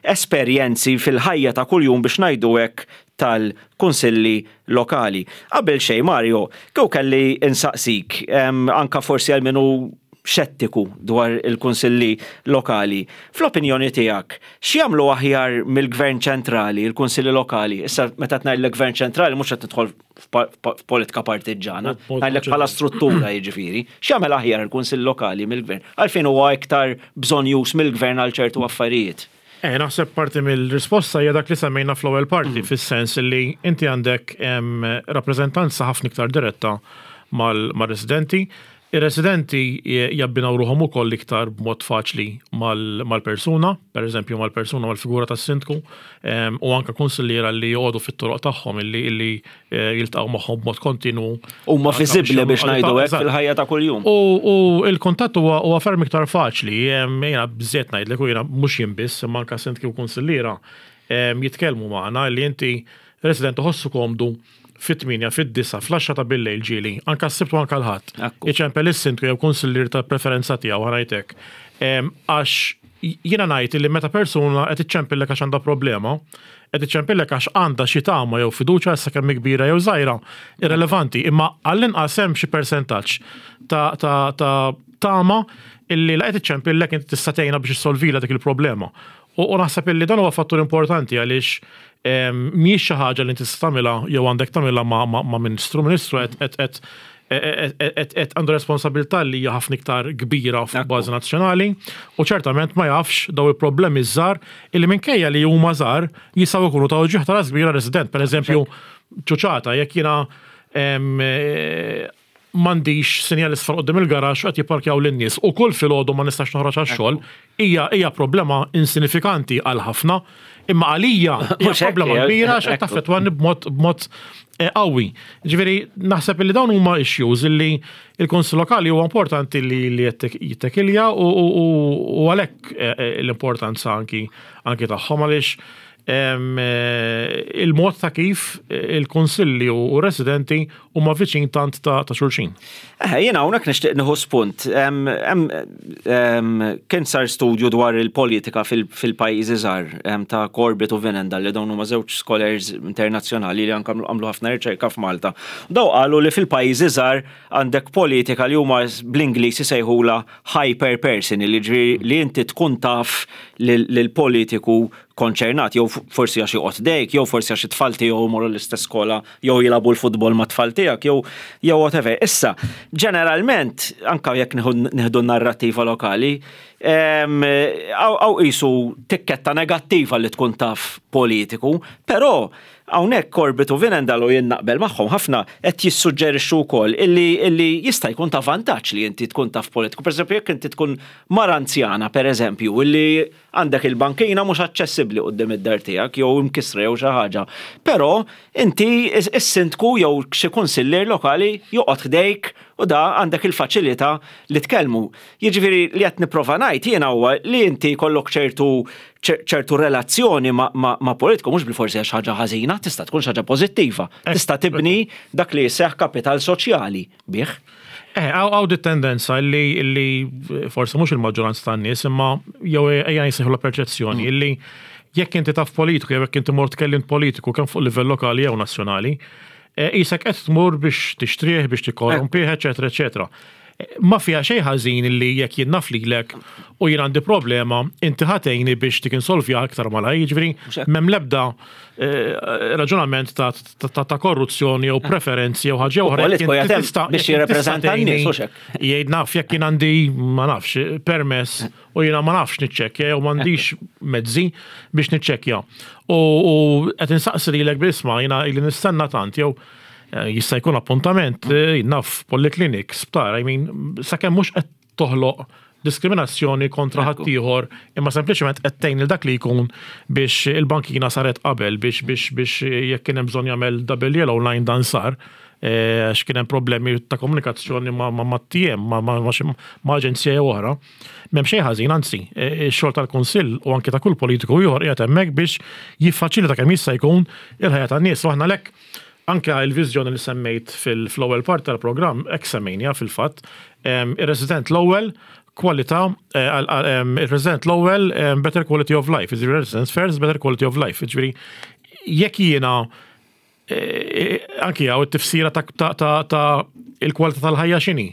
esperjenzi fil-ħajja ta' kuljum biex ngħidu hekk tal-kunsilli lokali. Qabel xejn Mario, kieku kelli insaqsik, anke forsi għal min hu xettiku dwar il-kunsilli lokali, fl-opinjoni tiegħek, x'jagħmlu aħjar mill-gvern ċentrali, il-kunsilli lokali? Issa meta qed ngħidlek gvern ċentrali mhux qed nidħol f'politika partiġġana, ngħidlek bħala struttura jiġifieri. X'jagħmel aħjar il-kunsill lokali mill-gvern? Għalfejn huwa iktar bżonnjuż mill-gvern għal ċertu affarijiet? Eh, naħseb parti mill-risposta hija dak li semmejna fl-ewwel parti, fis-sens li inti għandek rappreżentanza ħafna iktar diretta mal-residenti. Ir-residenti jabbinaw ruħhom ukoll iktar b'mod faċli mal-persuna, pereżempju mal-persuna mal-figura tas-sindku, u anke kunsilliera li joqogħdu fit-toroq tagħhom illi jiltaqgħu magħhom b'mod kontinwu. Huma viżibbli biex ngħidu hekk fil-ħajja ta' kuljum. U l-kuntatt huwa ferm iktar faċli. Jiena bżiet ngħidlek u jiena mhux jien biss, imma anke sindki u kunsilliera jitkellmu magħna li inti resident iħossu komdu fit-8, fid-9, fl-10 ta' billejl ġieli, anke s-Sibt u anke l-Ħadd. Iċempel is-sindku jew kunsillier ta' preferenza tiegħu ħa ngħid hekk. Għax jiena ngħid li meta persuna qed iċċempillek għax għandha problema, qed iċċempillek għax għandha xi tama jew fiduċja issa kemm hi kbira jew żgħira, irrelevanti, imma għall-inqas hemm xi persentaġġ ta' ta' ta' tama illi la qed iċċempillek inti tista' tgħinha biex issolvilha dik il-problema. U, u naħseb illi dan huwa fattur importanti għaliex mhijiex xi ħaġa li inti tista' tagħmilha jew għandek tagħmilha ma', ma', ma' ministru. Ministru qed qed qed qed għandu responsabilità li hija ħafna iktar kbira fuq bażi nazzjonali u ċertament ma jafx daw il-problemi żgħar illi minkejja li huma żgħar jistgħu jkunu ta' uġigħ ta' ras kbira resident. Per eżempju, ċuċata, jekk jiena m'għandix sinjal isfar quddiem il-garaxx u qed jipparkjaw lin-nies u kull filgħodu ma nistax noħroġ għax-xogħol, hija hija problema insinifikanti għal ħafna, imma għalija hija problema kbira għax qed taffettwani b'mod b'mod qawwi. Ġifieri naħseb li dawn huma issues illi il-Kunsill Lokali huwa importanti li li jittekilja u għalhekk l-importanza anki anki tagħhom għaliex il-mod ta' kif il-kunsilli u residenti huma viċin tant ta' xulxin. Eh, jiena hawnhekk nixtieq nieħu spunt. Kien sar studju dwar il-politika fil-pajjiżi żgħar ta' Corbett u Venendal li dawn huma żewġ scholars internazzjonali li anke għamlu ħafna riċerka f'Malta. Daw qalu li fil-pajjiżi żgħar għandek politika li huma bl-Ingliż isejħula hyper person, li ġifieri li inti tkun taf lill-politiku konċernat, jew forsi għax joqgħod ħdejk, jew forsi għax it-tfal tiegħu jmorru l-istess skola, jew jilagħbu l-futbol mat-tfal tiegħek, jew jew whatever. Issa, ġeneralment, anka jekk nieħdu narrattiva lokali, hawn qisu tikketta negattiva li tkun taf politiku, però hawnhekk Corbett u Vinendal u jien naqbel magħhom ħafna qed jissuġġerixxu wkoll illi illi jista' jkun ta' vantaġġ li inti tkun taf politiku. Pereżempju, jekk inti tkun mara anzjana, pereżempju, illi Għandek il-bankina mhux aċċessibbli quddiem id-dar tiegħek jew imkissra jew xi ħaġa. Però inti is-sindku jew xi kunsillier lokali joqgħod ħdejk u da għandek il-faċilità li tkellmu. Jiġifieri li qed nipprova ngħid jiena huwa li inti jkollok ċertu ċertu relazzjoni ma' politiku mhux bilfors hija xi ħaġa ħażina, tista' tkun xi ħaġa pożittiva. Tista' tibni dak li jseħħ kapital soċjali bih. Eh, għaw di tendenza li, li forse mhux il-maġġoranza tan-nies, imma jew ejja jsejħu la perċezzjoni mm. illi jekk inti taf politiku jew jekk inti mort tkellimt politiku kemm fuq livell lokali jew nazzjonali, eh, isek qed tmur biex tixtrih, biex tikkorrompih, eċetera, eċetera. Ma fiha xejn ħażin li jekk jien naf lilek u jien għandi problema, inti ħa tgħinni biex dik insolvja aktar malajr, jiġifieri m'hemm l-ebda raġunament ta' korruzzjoni jew preferenzi jew ħaġa oħra. Politiku jagħtem biex jirrepreżenta n-nies, hux hekk? Jgħid naf jekk jien għandi ma nafx permess u jiena ma nafx niċċekkja jew m'għandix mezzi biex niċċekkja. U qed insaqsi lilek b'isma' jiena ili nistenna tant jew Jista' jkun appuntament, naf, polyclinic, sptar, I mean, sakemm mhux qed toħloq diskriminazzjoni kontra ħaddieħor, imma sempliċement qed tgħin lil dak li jkun biex il-bankina saret qabel biex biex biex jekk kien hemm bżonn jagħmel double yellow line dan sar għax kien hemm problemi ta' komunikazzjoni ma' TM, ma' aġenzija jew oħra. M'hemm xejn ħażin, anzi, ix-xogħol tal-Kunsill u anke ta' kull politiku ieħor qiegħed hemmhekk biex jiffaċilita kemm jista' jkun il-ħajja tan-nies. U aħna għalhekk anke l-viżjoni li semmejt fl-ewwel parti tal-programm, hekk semmejniha fil-fatt, ir-resident l-ewwel, kwalità, ir-resident l-ewwel, better quality of life, jiġifieri residents first, better quality of life. Jiġifieri jekk jiena anki hawn it-tifsira ta' il-kwalità tal-ħajja x'inhi.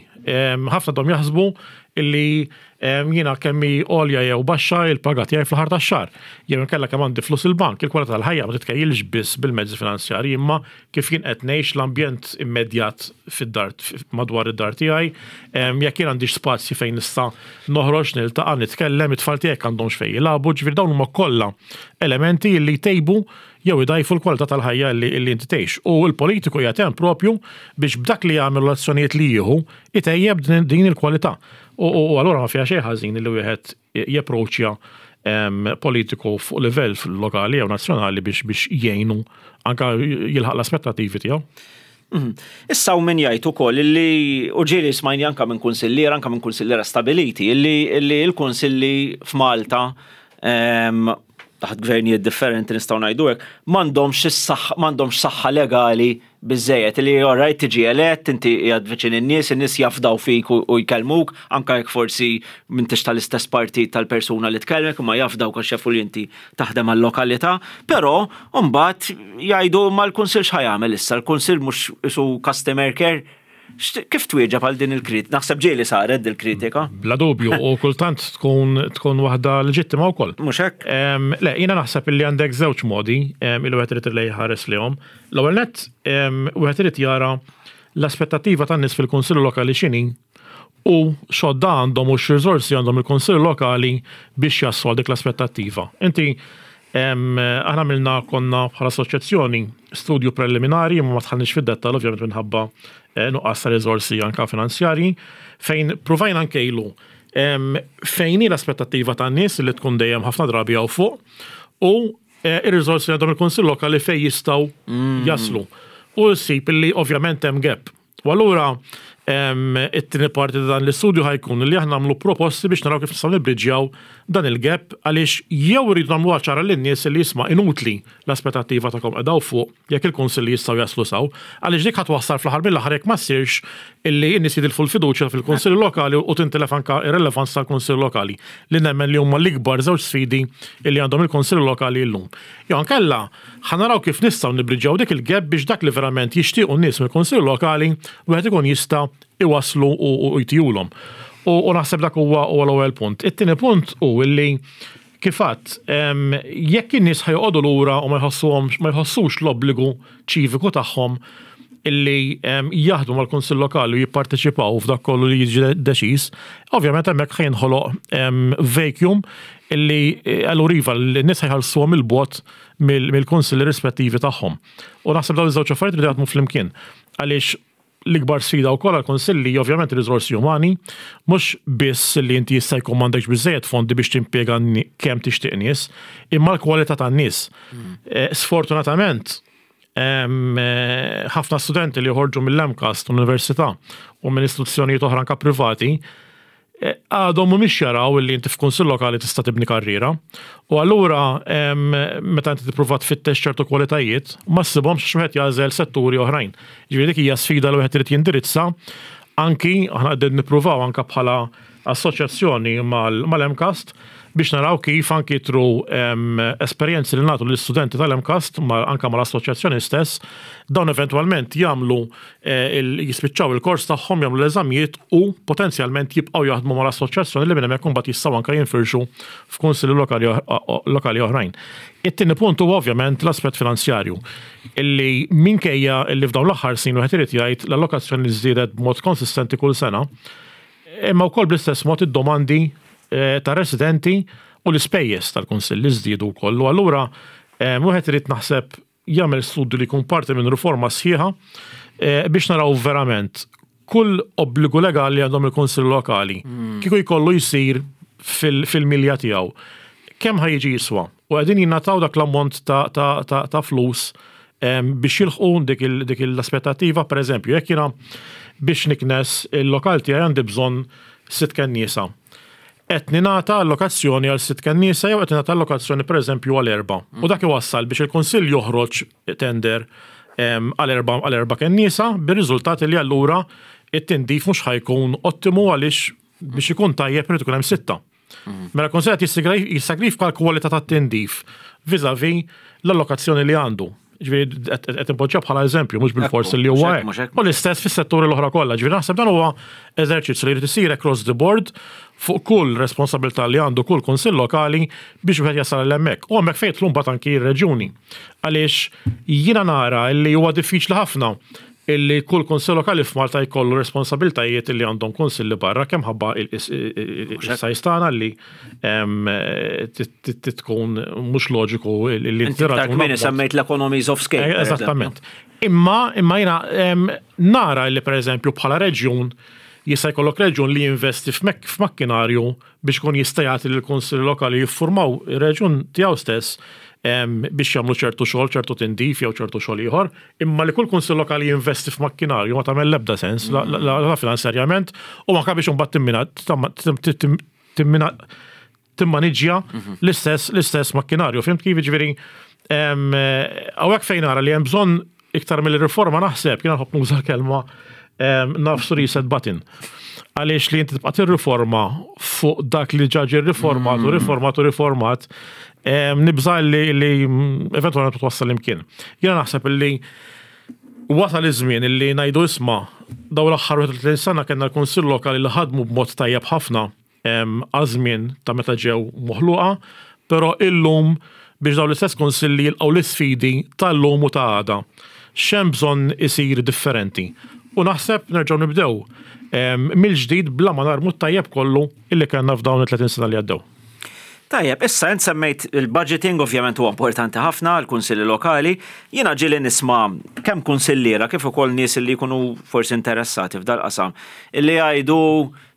Ħafna dom jaħsbu illi jiena kemm hi għolja jew baxxa il-paga tiegħi fl-aħħar tax-xahar. Jew inkella kemm għandi flus il-bank, il-kwalità tal-ħajja ma titkejjilx biss bil-mezzi finanzjarji imma kif jien qed ngħix l-ambjent immedjat fid-dar madwar id-dar tiegħi, jekk jien għandix spazji fejn nista' noħroġ, niltaqa', nitkellem, it-tfal tiegħi jekk għandhomx fejn jilagħbu, ġifieri dawn huma kollha elementi li jtejbu jew idgħajfu l-kwalità tal-ħajja li inti tgħix. U l-politiku qiegħed hemm propju biex b'dak li jagħmel u l-azzjonijiet li jieħu itejjeb din il-kwalità. U allura ma fiha xejn ħażin li wieħed japproċċja politiku fuq livell lokali jew nazzjonali biex biex jgħinu anka jilħaq l-aspettattivi tiegħu. Issa u min jgħid ukoll illi u ġieli smajni anka minn kunsilliera, anka minn kunsilliera stabiliti, illi l-kunsilli f'Malta taħt gvernijiet differenti nistgħu ngħidu hekk, m'għandhomx is-saħħa, m'għandhomx saħħa legali biżejjed li alright tiġi elett, inti qiegħed viċin in-nies, in-nies jafdaw fik u jkellmuk, anke jekk forsi m'intix tal-istess partit tal-persuna li tkellmek, imma jafdawk għax jafu li inti taħdem għal-lokalità, però mbagħad jgħidu ma l-kunsill x'ħa jagħmel issa, l-kunsill mhux isu customer care. Kif twieġeb għal din il-kritika? Naħseb ġieli saret dil-kritika. Bla dubju, u kultant tkun tkun waħda leġittima wkoll. Mhux hekk? Le, jiena naħseb illi għandek żewġ modi illi wieħed irid li jħares lihom. L-ewwel nett, wieħed irid jara l-aspettattiva tan-nies fil-Kunsill Lokali x'inhi u x'għodda għandhom u x'riżorsi għandhom il-Kunsill Lokali biex jaslu għal dik l-aspettattiva. Inti Aħna għamilna konna bħala assoċjazzjoni studju preliminari imma ma dħalniex fid-dettall ovvjament minħabba eh, nuqqas ta' riżorsi anka finanzjarji fejn provajna nkejlu fejn hi l-aspettattiva tan-nies li tkun dejjem ħafna drabi hawn fuq u eh, ir-riżorsi li għandhom il-Kunsill Lokali fejn jistgħu jaslu. U ssib li ovvjament hemm gap. U allura it-tieni parti ta' dan l-istudju ħa jkun li aħna nagħmlu proposti biex naraw kif nistgħu nibbriġjaw dan il-gap għaliex jew irridu nagħmluha ċara lin-nies li isma' inutli l-aspettattiva tagħkom qiegħda hawn fuq jekk il-kunsilli jistgħu jaslu s'hawn għaliex dik ħa twassal fl-aħħar mill-aħħar jekk ma ssirx illi n-nies jitilfu l-fiduċja fil-kunsilli lokali u tintilef anke r-relevanza tal-kunsilli lokali li nemmen li huma l-ikbar żewġ sfidi illi għandhom il-kunsilli lokali llum. Jew inkella ħa naraw kif nistgħu nibbriġġjaw dik il-gap biex dak li verament jixtiequ n-nies mill-Kunsill Lokali wieħed ikun jista' iwasslu u jtihulhom. U naħseb dak huwa l-ewwel punt. It-tieni punt hu li kif għedt, jekk in-nies ħa joqogħdu lura u ma jħossuhomx ma jħossux l-obbligu ċiviku tagħhom illi jaħdmu mal-Kunsill Lokali u jipparteċipaw f'dak kollu li jiġi deċiż, ovvjament hemmhekk ħa jinħoloq vacuum illi allura iva n-nies ħa jħallsuhom 'il bogħod mill-kunsilli rispettivi tagħhom. U naħseb dawn iż-żewġ affarijiet iridu jaħdmu flimkien. Għaliex l-ikbar sfida wkoll għall-kunsilli hija ovvjament ir-riżorsi umani, mhux biss li inti jista' jkun m'għandekx biżżejjed fondi biex timpjega kemm tixtieq nies, imma l-kwalità tan-nies. Sfortunatament, ħafna studenti li joħorġu mill-MCAST, l-università, u minn istituzzjonijiet oħra anke privati, għadhom mhumiex jaraw illi inti f'kunsill lokali tista' tibni karriera. U allura meta inti tippruva tfittex ċertu kwalitajiet, ma ssibhomx għax wieħed jagħżel setturi oħrajn. Ġifieri dik hija sfida li wieħed irid jindirizza anki aħna qegħdin nippruvaw anke bħala assoċjazzjoni mal-MCAST biex naraw kif anki through esperjenzi li nagħtu lill-istudenti tal-MCAST anke mal-assoċjazzjoni stess, dawn eventwalment jagħmlu jispiċċaw il-kors tagħhom, jagħmlu l-eżamijiet u potenzjalment jibqgħu jaħdmu mal-assoċjazzjoni li minn hemmhekk imbagħad jistgħu anke jinfirxu f'kunsilli lokali oħrajn. It-tieni punt huwa ovvjament l-aspett finanzjarju illi minkejja illi f'dawn l-aħħar snin wieħed irid jgħid l-allokazzjoni żdiedet b'mod konsistenti kull sena, imma wkoll bl-istess mod id-domandi eh, ta' residenti u l-ispejjeż tal-Kunsill li żdiedu wkoll. U allura eh, wieħed irid naħseb jagħmel studju li jkun parti minn riforma sħiħa eh, biex naraw verament kull obbligu legali għandhom il-Kunsill Lokali hmm. kieku jkollu jsir fil-milja tiegħu. Kemm ħa jiġi jiswa? U qegħdin jingħataw dak l-ammont ta' flus biex jilħqu dik l-aspettattiva, per eżempju, jekk jiena biex niknes il-lokal tiegħi għandi bżonn sitt kenniesa. Qed ningħata allokazzjoni għal sitt kenniesa jew qed ningħata allokazzjoni pereżempju għal erba'. U dak iwassal biex il-Kunsill joħroġ tender għal erba' għal erba' kenniesa bir-riżultat li allura it-tindif mhux ħa jkun ottimu għaliex biex ikun tajjeb irid ikun hemm sitta. Mela l-Kunsill qed jissagrifika l-kwalità tat-tindif vis-à-vis l-allokazzjoni li għandu. Ġifieri qed inpoġġiha bħala eżempju mhux bil-fors li huwa hekk. U l-istess fis-setturi l-oħra kollha. Ġifieri naħseb dan huwa eżerċizzju li jrid isir across the board fuq kull responsabilità li għandu kull kunsill lokali biex wieħed jasal għal hemmhekk. U hemmhekk fejn jidħlu mbagħad anki r-reġjuni. Għaliex jiena nara li huwa diffiċli ħafna illi kull kunsill lokali f'Malta jkollu responsabiltajiet illi għandhom kunsilli barra kemm ħabba il-sajz tagħna li tkun mhux loġiku li Inti iktar kmieni semmejt l-economies of scale. Eh, eżattament. Imma imma jiena nara li pereżempju bħala reġjun jista' jkollok reġjun li jinvesti f'makkinarju biex ikun jista' jagħti lill-kunsilli lokali jiffurmaw ir-reġjun tiegħu stess biex jagħmlu ċertu xogħol, ċertu tindif jew ċertu xogħol ieħor, imma li kull kunsill lokali jinvesti f'makkinarju ma tagħmel l-ebda sens, la finanzjarjament u anke biex imbagħad timmina timmaniġġja mhm. l-istess l-istess makkinarju. Fimt kif ġifieri hawnhekk fejn nara li hemm bżonn iktar mill-riforma naħseb, jiena nħobb nuża l-kelma nafsu reset button. Għaliex li inti tibqa' tirriforma fuq dak li ġaġi riformat u mm. riformat u riformat, nibża li li eventualment twassal imkien. Jiena naħseb li wasal iż-żmien li ngħidu isma' dawn l-aħħar 30 sena kellna l-Kunsill Lokali li ħadmu b'mod tajjeb ħafna għaż-żmien ta' meta ġew moħluqa, però illum biex dawn l-istess kunsilli jilqgħu l-isfidi tal-lum u ta' għada. X'hemm bżonn isir differenti? U naħseb nerġgħu nibdew mill-ġdid bla ma narmu t-tajjeb kollu illi kellna f'dawn it-30 sena li għaddew. Tajjeb, issa int semmejt il-budgeting ovvjament huwa importanti ħafna għall-kunsilli lokali. Jiena ġieli nisma' kemm kunsilliera kif ukoll nies li jkunu forsi interessati f'dal-qasam illi jgħidu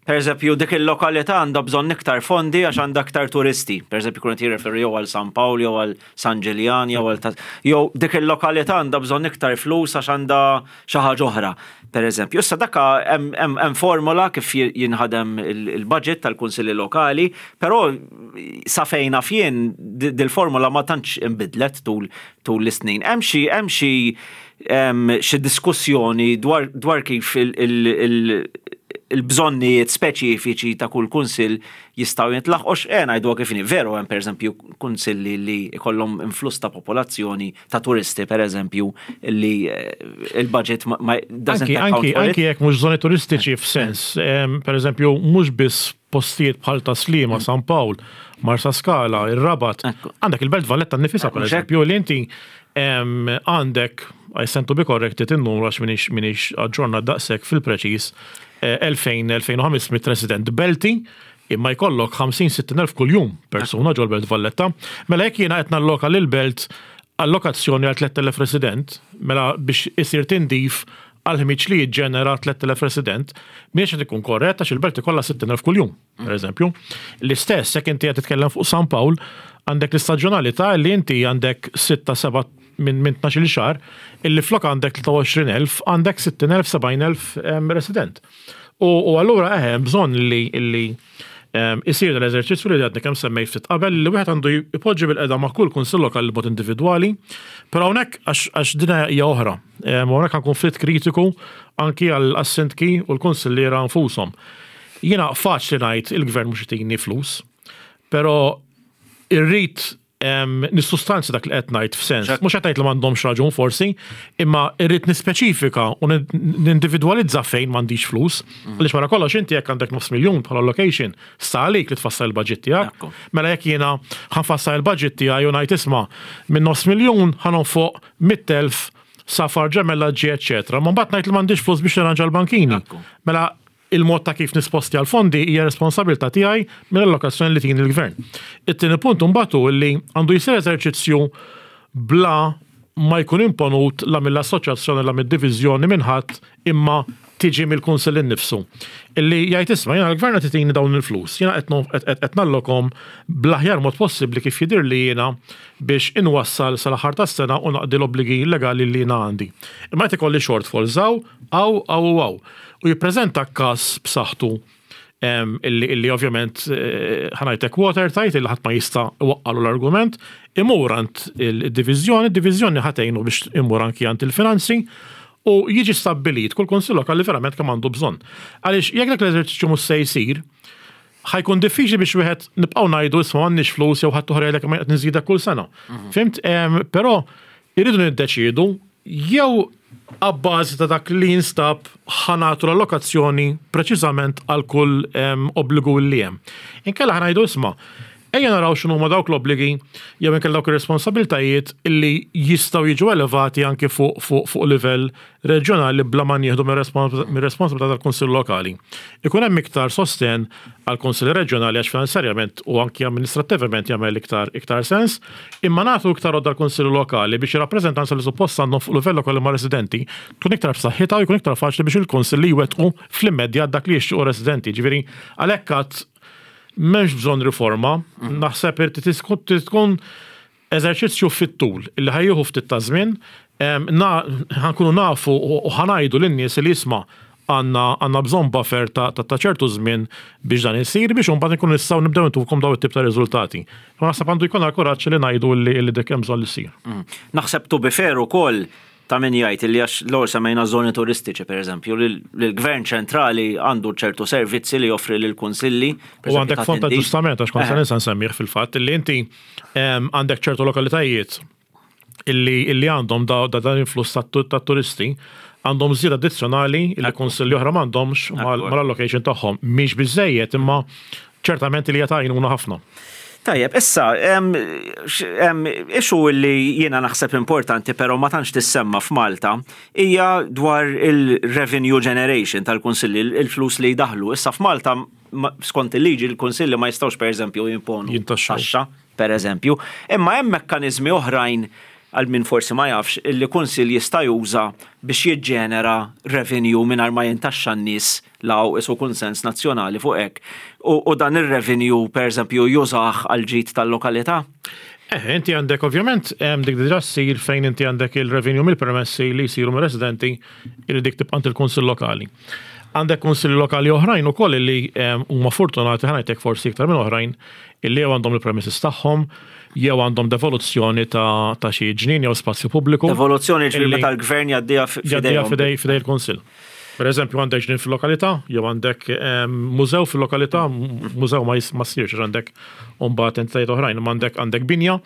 Pereżempju, dik il-lokalità għandha bżonn iktar fondi għax għandha iktar turisti. Pereżempju, jkunu qed jirreferu jew għal San Pawl jew għal San Ġiljan jew għal jew dik il-lokalità għandha bżonn iktar flus għax għandha xi ħaġa oħra. Pereżempju, issa dak hemm formola kif jinħadem il-budget tal-kunsilli lokali, però sa fejn naf jien dil-formola ma tantx inbidlet tul tul is-snin. Hemm xi hemm xi xi diskussjoni dwar dwar kif il-bżonnijiet speċifiċi ta' kull kunsill jistgħu jintlaħqu eh ngħiduha kif inhi. Veru hemm pereżempju kunsilli li jkollhom influss ta' popolazzjoni ta' turisti pereżempju li eh, il-budget ma doesn't account for it. Anki jekk mhux żoni turistiċi f'sens, pereżempju mhux biss postijiet bħal Tas-Sliema, San Pawl, Marsaskala, ir-Rabat. Għandek il-Belt Valletta nnifisha pereżempju li inti għandek, I stand to be corrected in-numru għax m'iniex m'iniex aġġornat daqshekk fil-preċiż, 2000-2500 resident Belti, imma jkollok 50-60 elf kuljum persuna ġol-Belt Valletta. Mela jekk jiena qed nalloka lill-Belt allokazzjoni għal 3000 resident, mela biex isir tindif għall-ħmieġ li jiġġenera 3,000 resident, mhijiex qed ikun korrett għax il-belt ikollha 60,000 kuljum, pereżempju. L-istess jekk inti qed titkellem fuq San Pawl, għandek l-istaġjonalità li inti għandek sitta seba' minn minn 12-il xahar, illi flok għandek 23,000 għandek 60,000 70,000 resident. U allura eħe hemm bżonn li li isir dal-eżerċizzju li għadni kemm semmejt ftit qabel li wieħed għandu jpoġġi bilqiegħda ma' kull kunsill lokali b'mod individwali, però hawnhekk għax din hija oħra. U hawnhekk ħa nkun ftit kritiku anki għas-sindki u l-kunsilliera nfushom. Jiena faċli ngħid il-gvern mhux itini flus, però irrid nissustanzja dak li qed ngħid f'sens. Mhux qed ngħid li m'għandhomx raġun forsi, imma irrid nispeċifika u nindividwalizza fejn m'għandix flus. Għaliex wara kollox inti jekk għandek nofs miljun bħala allocation, sta għalik li tfassal il-budget tiegħek. Mela jekk jiena ħa nfassal il-budget tiegħi u ngħid isma' minn nofs miljun ħa nonfoq 100,000 safar ġemellaġġi eċċetera. Ma mbagħad ngħid li m'għandix flus biex nirranġa l-bankini. Mela il-mod ta' kif nispostja l-fondi hija responsabilità tiegħi mill-allokazzjoni li tini l-gvern. It-tieni punt imbagħad hu li għandu jsir eżerċizzju bla ma jkun imponut la mill-assoċjazzjoni la mid-diviżjoni minn ħadd imma tiġi mill-Kunsill innifsu. Illi jgħid isma' jiena l-gvern qed itini dawn il-flus, jiena qed nallokhom bl-aħjar mod possibbli kif jidhirli jiena biex inwassal sal-aħħar tas-sena u naqdi l-obbligi legali li jiena għandi. Imma qed ikolli shortfalls hawn, hawn, hawn u hawn. U jippreżenta każ b'saħħtu illi ovvjament ħa ngħidlek watertight illi ħadd ma jista' iwaqqalu l-argument, imur għand id-diviżjoni, id-diviżjoni ħa tgħinu biex imur anki għand il-finanzi u jiġi stabbilit kull kunsill lokali verament kemm għandu bżonn. Għaliex jekk dak l-eżerċizzju mhux se jsir, ħa jkun diffiċli biex wieħed nibqgħu ngħidu isma' m'għandniex flus jew ħadd oħra jgħidlek imma qed niżidek kull sena. Fhimt? Però irridu niddeċiedu jew abbażi ta' dak li jinstab ħa nagħtu l-allokazzjoni preċiżament għal kull obbligu li hemm. Inkella ħa ngħidu isma' ejja naraw x'inhuma dawk l-obbligi jew inkella dawk ir-responsabbiltajiet illi jistgħu jiġu elevati anki fuq fuq fuq livell reġjonali bla ma nieħdu mir-responsabilità tal-Kunsill Lokali. Ikun hemm iktar sostenn għall-Kunsilli Reġjonali għax finanzjarjament u anki amministrattivament jagħmel iktar iktar sens, imma nagħtu iktar għodda l-Kunsilli Lokali biex ir-rappreżentanza li suppost għandhom fuq livell lokali mar-residenti tkun iktar b'saħħitha u jkun iktar faċli biex il-Kunsilli jwettqu fl-immedjat dak li jixtiequ r-residenti. Jiġifieri għalhekk għad m'hemmx bżonn riforma, naħseb irid tkun Eżerċizzju fit-tul illi ħa jieħu ftit ta' żmien, ħa nkunu nafu u ħa ngħidu lin-nies li isma' għandna għandna bżonn buffer ta' ta' ċertu żmien biex dan isir biex imbagħad inkunu nistgħu nibdew intukom dawn it-tip ta' riżultati. Imma naħseb għandu jkollna l-kuraġġ li ngħidu li dik hemm bżonn li ssir. Naħseb to be fair ukoll Ta' min jgħid li għax l-ewwel semmejna żoni turistiċi pereżempju, li l-gvern ċentrali għandu ċertu servizzi li joffri lill-kunsilli. U għandek fond ta' ġustament għax kont se ninsa nsemmih fil-fatt li inti għandek ċertu lokalitajiet illi għandhom dan l-influss ta' turisti għandhom żieda addizzjonali li kunsilli oħra m'għandhomx mal-allocation tagħhom. Mhix biżejjed imma ċertament li hija ta' għajnuna ħafna. Tajjeb, issa, issue li jiena naħseb importanti però ma tantx tissemma f'Malta hija dwar il-revenue generation tal-kunsilli, il-flus li jdaħħlu. Issa f'Malta skont il-liġi l-kunsilli ma jistgħux pereżempju jimponu taxxa, pereżempju. Imma hemm mekkaniżmi oħrajn għal min forsi ma jafx, illi kunsill jista' juża biex jiġġenera revenue mingħajr ma jintaxxa n-nies la hawn qisu kunsens nazzjonali fuq hekk, u dan ir-revenue pereżempju jużah għall-ġid tal-lokalità? Eh, inti għandek ovvjament hemm dik diġà ssir fejn inti għandek il-revenue mill-permessi li jsiru mir-residenti li dik tibqa' għand il-kunsill lokali. Għandek kunsilli lokali oħrajn ukoll li huma fortunati ħa ngħidlek forsi iktar minn oħrajn illi jew għandhom il-premises tagħhom, jew għandhom devoluzzjoni ta' ta' xi ġnien jew spazju pubbliku. Devoluzzjoni ġifieri meta l-gvern jgħaddiha f'idejhom. Jgħaddiha f'idej f'idej il-kunsill. Per eżempju għandek ġnien fil-lokalità, jew għandek mużew fil-lokalità, mużew ma ma ssirx għax għandek mbagħad entitajiet oħrajn, imma għandek għandek binja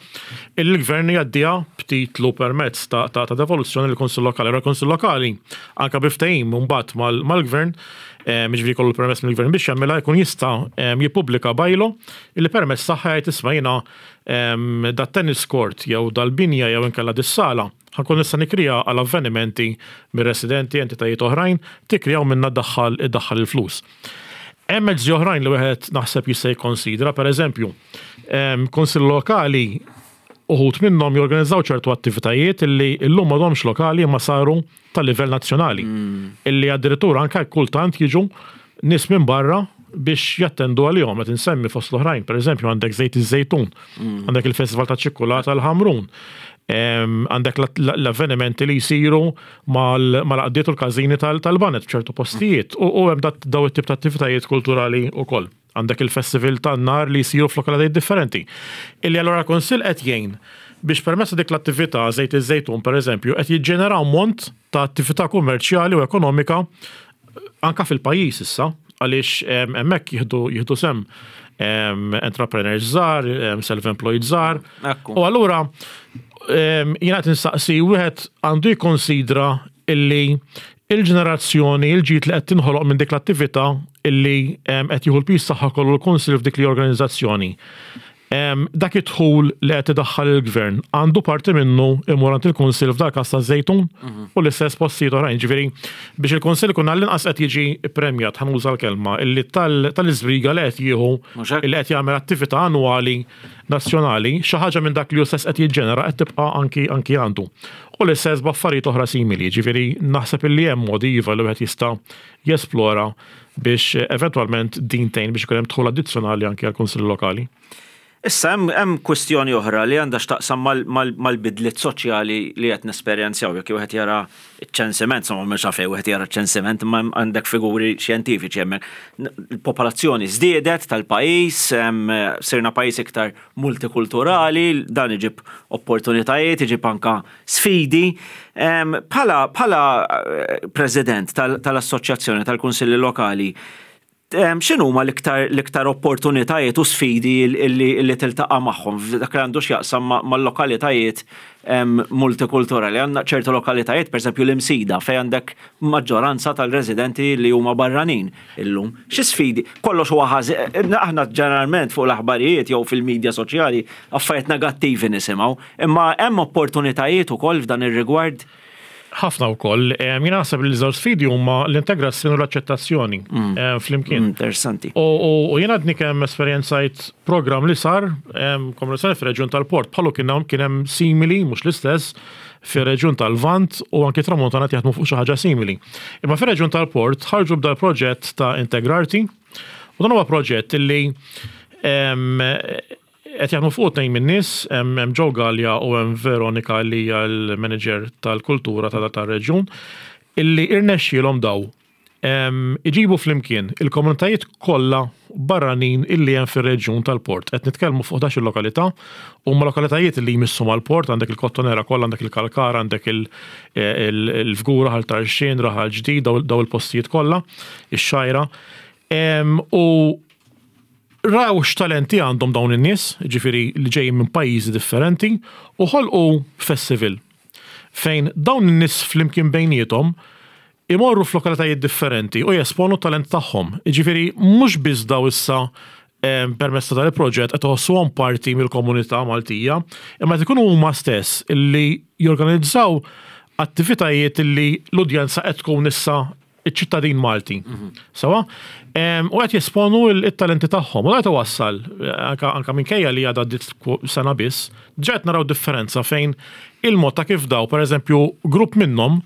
illi l-gvern jgħaddiha b'titlu permezz ta' ta' ta' devoluzzjoni lill-kunsill lokali. Allura l-kunsill lokali anke bi ftehim mbagħad mal-gvern jiġifieri jkollu l-permess mill-gvern biex jagħmilha jkun jista' jippubblika bylaw illi permezz tagħha jgħid isma' jiena dat-tennis court jew dal-binja jew inkella dis-sala ħa nkun nista' nikriha għal avvenimenti mir-residenti, entitajiet oħrajn, tikriha u minnha ddaħħal iddaħħal il-flus. Hemm mezzi oħrajn li wieħed naħseb jista' jikkonsidra, pereżempju, kunsilli lokali uħud minnhom jorganizzaw ċertu attivitajiet illi llum m'għadhomx lokali imma saru ta' livell nazzjonali. Illi addirittura anke kultant jiġu nies minn barra biex jattendu għalihom, qed insemmi fost l-oħrajn, pereżempju għandek Żejt iż-Żejtun, għandek il-Festival taċ-Ċikkulata l-Ħamrun, għandek l-avvenimenti li jsiru mal-għaqdiet u l-każini tal-baned f'ċertu postijiet u hemm daw it-tip ta' attivitajiet kulturali wkoll. Għandek il-festival tan-nar li jsiru f'lokalitajiet differenti. Illi allura l-Kunsill qed jgħin biex permezz ta' dik l-attività, Żejt iż-Żejtun pereżempju, qed jiġġenera ammont ta' attività kummerċjali u ekonomika anka fil-pajjiż issa. Għaliex hemmhekk jieħdu jieħdu sehem entrepreneurs żgħar, self-employed żgħar. U allura jiena qed insaqsi wieħed għandu jikkonsidra illi il-ġenerazzjoni, il-ġid li qed tinħoloq minn dik l-attività illi qed jieħu l-piż tagħha kollu l-Kunsill f'dik li organizzazzjoni. Dak id-dħul li qed idaħħal il-Gvern għandu parti minnu imur għand il-Kunsill f'dal-każ taż-Żejtun u l-istess postijiet oħrajn. Ġifieri biex il-Kunsill ikun għall-inqas qed jiġi ppremjat, ħa nuża l-kelma, illi tal-iżbriga li qed jieħu illi qed jagħmel attività annwali nazzjonali, xi ħaġa minn dak li hu stess qed jiġġenera qed tibqa' anki anki għandu. U l-istess b'affarijiet oħra simili, ġifieri naħseb illi hemm modi iva li wieħed jista' jesplora biex eventwalment din tgħin biex ikun hemm dħul addizzjonali anki għall-Kunsilli Lokali. Issa hemm kwistjoni oħra li għandha x'taqsam mal-bidliet soċjali li qed nesperjenzjaw jekk wieħed jara ċ-ċensiment, insomma mhux għalfejn wieħed jara ċ-ċensiment imma għandek figuri xjentifiċi hemmhekk. Il-popolazzjoni żdiedet tal-pajjiż, sirna pajjiż iktar multikulturali, dan iġib opportunitajiet, iġib anka sfidi. Bħala bħala eh, president tal-Assoċjazzjoni tal-Kunsilli Lokali, x'inhuma l-iktar l-iktar opportunitajiet u sfidi li tiltaqa' magħhom f'dak li għandu x'jaqsam mal-lokalitajiet multikulturali. Għandna ċertu lokalitajiet, pereżempju l-Imsida, fejn għandek maġġoranza tal-residenti li huma barranin illum. Xi sfidi? Kollox huwa ħażin. Aħna ġeneralment fuq l-aħbarijiet jew fil-medja soċjali affarijiet negattivi nisimgħu. Imma hemm opportunitajiet ukoll f'dan ir-rigward? Ħafna wkoll. Jiena naħseb li l-żewġ sfidi huma l-integrazzjoni u l-aċċettazzjoni mm. flimkien. Mm, interessanti. U jiena għadni kemm esperjenzajt programm li sar komunikazzjoni fir-reġjun tal-Port bħalu kien hemm kien hemm simili mhux l-istess fir-reġjun tal-Lvant u anki Tramuntana jaħdmu fuq xi ħaġa simili. Imma fir-reġjun tal-Port ħarġu b'dal proġett ta' Integrarti u dan huwa proġett li Qed jaħdmu fuqu tnejn min-nies, hemm Joe Galea u hemm Veronica li hija l-manager tal-kultura ta' tar-reġjun, illi irnexxielhom daw iġibu flimkien il-komunitajiet kollha barranin illi hemm fir-reġjun tal-port. Qed nitkellmu fuq 11-il lokalità, huma lokalitajiet illi jmissu mal-port, għandek il-Kottonera kollha, għandek il-Kalkara, għandek il-Fgura, Ħal Tarxien, Raħal Ġdid, daw il-postijiet kollha, ix-Xgħajra. U Raw x'talenti għandhom dawn in-nies, jiġifieri li ġejjin minn pajjiżi differenti, u ħolqu festival fejn dawn in-nies flimkien bejniethom imorru f'lokalitajiet differenti u jesponu t-talent tagħhom. Jiġifieri mhux biss daw issa permezz ta' dan il-proġett qed iħossuhom parti mill-komunità Maltija, imma qed ikunu huma stess li jorganizzaw attivitajiet li l-udjenza qed tkun issa iċ-ċittadin Malti. Sewa? U qed jesponu it-talenti tagħhom. U qed wassal, anka minkejja li għadha għaddiet sena biss, diġà qed naraw differenza fejn il-mod ta' kif daw, pereżempju, grupp minnhom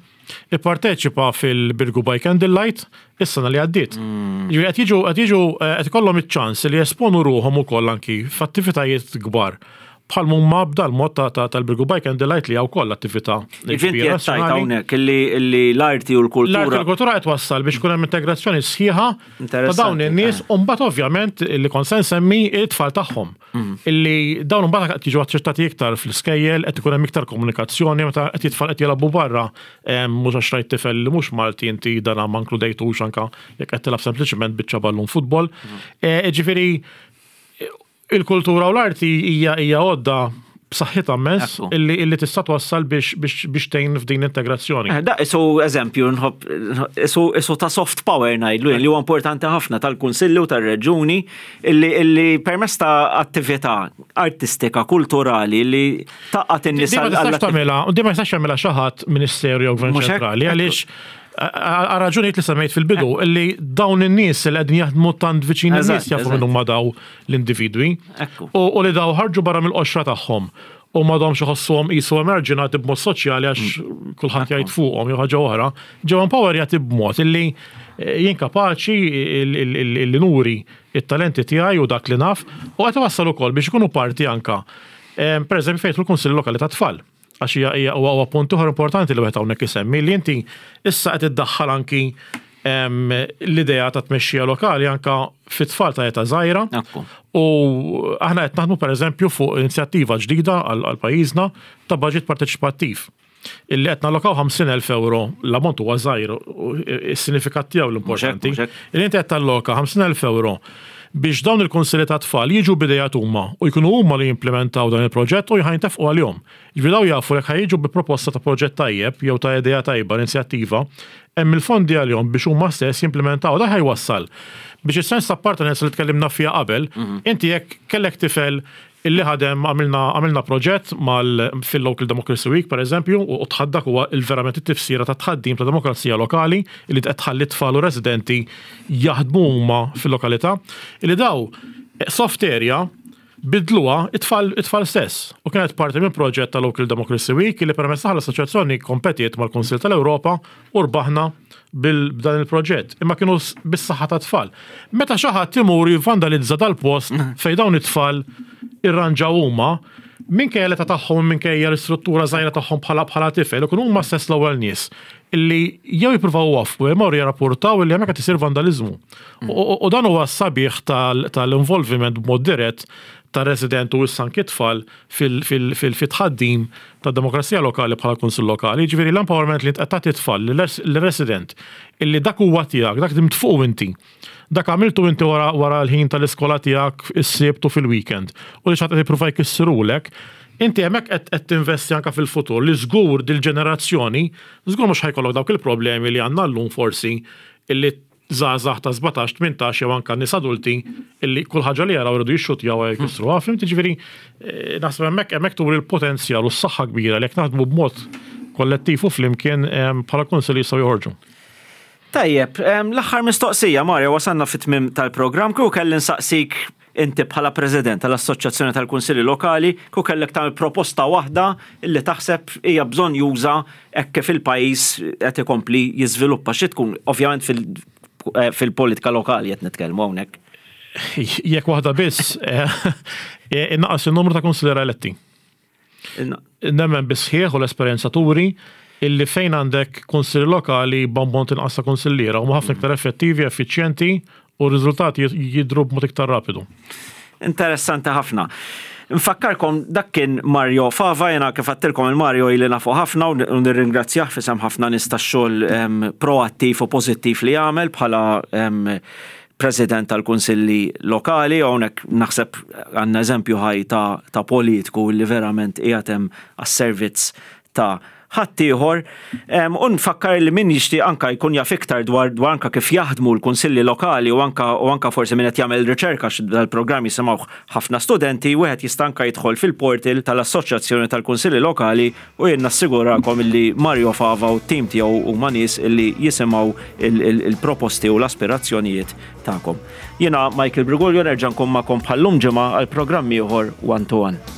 ipparteċipa fil-Birgu by Candlelight is-sena li għaddiet. Mm. Ġifieri qed jiġu qed jiġu eh, qed ikollhom iċ-ċans li jesponu ruħhom ukoll anki f'attivitajiet kbar bħal mumma b'dal mod tal-Birgu Bike and Delight li hawn koll attività. Ġifieri qed tgħid hawnhekk illi l-arti u l-kultura. L-arti u l-kultura qed wassal biex ikun hemm integrazzjoni sħiħa ta' dawn in-nies u mbagħad ovvjament li kont se nsemmi it-tfal tagħhom. Mm. Illi dawn imbagħad qed jiġu aċċettati iktar fl-iskejjel, qed ikun hemm iktar komunikazzjoni meta qed jitfal qed jilagħbu barra mhux għax rajt tifel li mhux Malti inti dana ma nkludejtux anka jekk qed tilgħab sempliċement biċċa ballun futbol. Mm. Eh, ġifieri Il-kultura u l-arti hija hija għodda b'saħħitha immens illi illi tista' twassal biex biex biex tgħin f'din l-integrazzjoni. Eh, da isu eżempju nħobb isu isu ta' soft power ngħidlu li huwa importanti ħafna tal-kunsilli u tar-reġuni illi illi permezz ta' attività artistika, kulturali li taqgħad in-nies Di ma tistax tagħmilha, di ma jistax jagħmilha xi ħadd Ministeru jew Gvern Ċentrali għaliex għal raġunijiet li semmejt fil-bidu, illi dawn in-nies li qegħdin jaħdmu tant viċin in-nies jafu minn huma daw l-individwi. U li daw ħarġu barra mill-qoxra tagħhom u m'għadhomx iħossuhom qisu emerġinati b'mod soċjali għax mm. kulħadd jgħid fuqhom jew ħaġa oħra, ġew empowerjati b'mod illi eh, jien kapaċi illi nuri it-talenti tiegħi u dak li naf u qed iwassal ukoll biex ikunu parti anka. Eh, per eżempju fejn il-Kunsill Lokali tat-Tfal. Għax hija hija huwa punt ieħor importanti li wieħed hawnhekk isemmi li inti issa qed iddaħħal anki l-idea ta' tmexxija lokali anka fit-tfal ta' età żgħira. U aħna qed naħdmu pereżempju fuq inizjattiva ġdida għal pajjiżna ta' budget parteċipattiv. Illi qed nallokaw 50,000 euro, l-ammont huwa żgħir, is-sinifikat tiegħu l-importanti. Illi inti qed talloka 50,000 euro biex dawn il-kunsilli ta' tfal jiġu b'idejat huma u jkunu huma li jimplementaw dan il-proġett u ħa jintefqu għalihom. Jiġifieri dawn jafu jekk ħa jiġu bi proposta ta' proġett tajjeb jew ta' idea tajba, inizjattiva, hemm il-fondi għalihom biex huma stess jimplementaw. Dan ħa jwassal biex is-sens ta' appartenenza li tkellimna fiha qabel, inti jekk kellek tifel illi ħadem għamilna għamilna proġett mal fil-Local Democracy Week pereżempju u tħaddak huwa il-verament it-tifsira ta' tħaddim ta' demokrazija lokali illi qed tħalli tfal u residenti jaħdmu huma fil-lokalità illi daw soft area bidluha it-tfal it-tfal stess u kienet parti minn proġett ta' Local Democracy Week illi permezz tagħha l-assoċjazzjoni kompetiet mal-Kunsill tal-Ewropa u rbaħna b'dan il-proġett, imma kienu bis-saħħa ta' tfal. Meta xi ħadd imur jivvandalizza dal-post fejn dawn it-tfal irranġaw huma, minkejja l-età tagħhom minkejja l-istruttura żgħira tagħhom bħala bħala tifel, ikunu huma stess l-ewwel nies illi jew jippruvaw iwaffqu jew imorru jirrapportaw illi hemmhekk qed isir vandaliżmu. U dan huwa s-sabiħ tal-involviment b'mod dirett tar-resident u issa anki t-tfal fit-tħaddim tad-demokrazija lokali bħala kunsill lokali. Jiġifieri l-empowerment li int qed tagħti t-tfal lir-resident illi dak huwa tiegħek, dak ħdimt fuqu inti. Dak għamiltu inti wara wara l-ħin tal-iskola tiegħek is-Sibt u fil-weekend u li xi ħadd qed jipprova jkissirulek, inti hemmhekk qed qed tinvesti anke fil-futur li żgur dil-ġenerazzjoni żgur mhux ħa jkollok dawk il-problemi li għandna llum forsi illi żgħażagħ ta' 17, 18 jew anke nies adulti illi kull ħaġa li jaraw iridu jixxutjawha jew jkissruha. Fhimt? Jiġifieri naħseb hemmhekk hemmhekk turi l-potenzjal u s-saħħa kbira li jekk naħdmu b'mod kollettiv u flimkien bħala kunsill jistgħu joħorġu. Tajjeb, l-aħħar mistoqsija, Mario, wasalna fit-tmiem tal-programm, kieku kelli nsaqsik Inti bħala President tal-Assoċjazzjoni tal-Kunsilli Lokali, kieku kellek tagħmel proposta waħda li taħseb hija bżonnjuża hekk kif il-pajjiż qed ikompli jiżviluppa, xi tkun? Ovvjament fil-politika lokali qed nitkellmu hawnhekk. Jekk waħda biss, innaqqas in-numru ta' kunsilliera eletti. Nemmen bis-sħiħ u l-esperjenza turi illi fejn għandek kunsilli lokali b'ammont inqas ta' kunsilliera huma ħafna iktar effettivi, effiċjenti u r-riżultati jidhru b'mod iktar rapidu. Interessanti ħafna. Nfakkarkom dak kien Mario Fava, jena kif għattilkom il-Mario ili nafu ħafna u nirringrazzjah f'isem ħafna nies tax-xogħol ehm, proattiv u pożittiv li jagħmel bħala ehm, President tal-Kunsilli Lokali, u hawnhekk naħseb għandna eżempju ħaj ta', ta politiku li verament qiegħed hemm għas-servizz ta' ħaddieħor. U nfakkar li min jixtieq anka jkun jaf iktar dwar dwar anka kif jaħdmu l-kunsilli lokali u anka u anka forsi min qed jagħmel riċerka għax dal-programm jisimgħuh ħafna studenti, wieħed jista' anka jidħol fil-portal tal-Assoċjazzjoni tal-Kunsilli Lokali U jien nassigurakom illi Mario Fava u t-tim tiegħu huma nies illi jisimgħu il-proposti u l-aspirazzjonijiet tagħkom. Jiena Michael Briguglio nerġa' nkun magħkom bħal-lum ġimgħa għal programm ieħor One to One.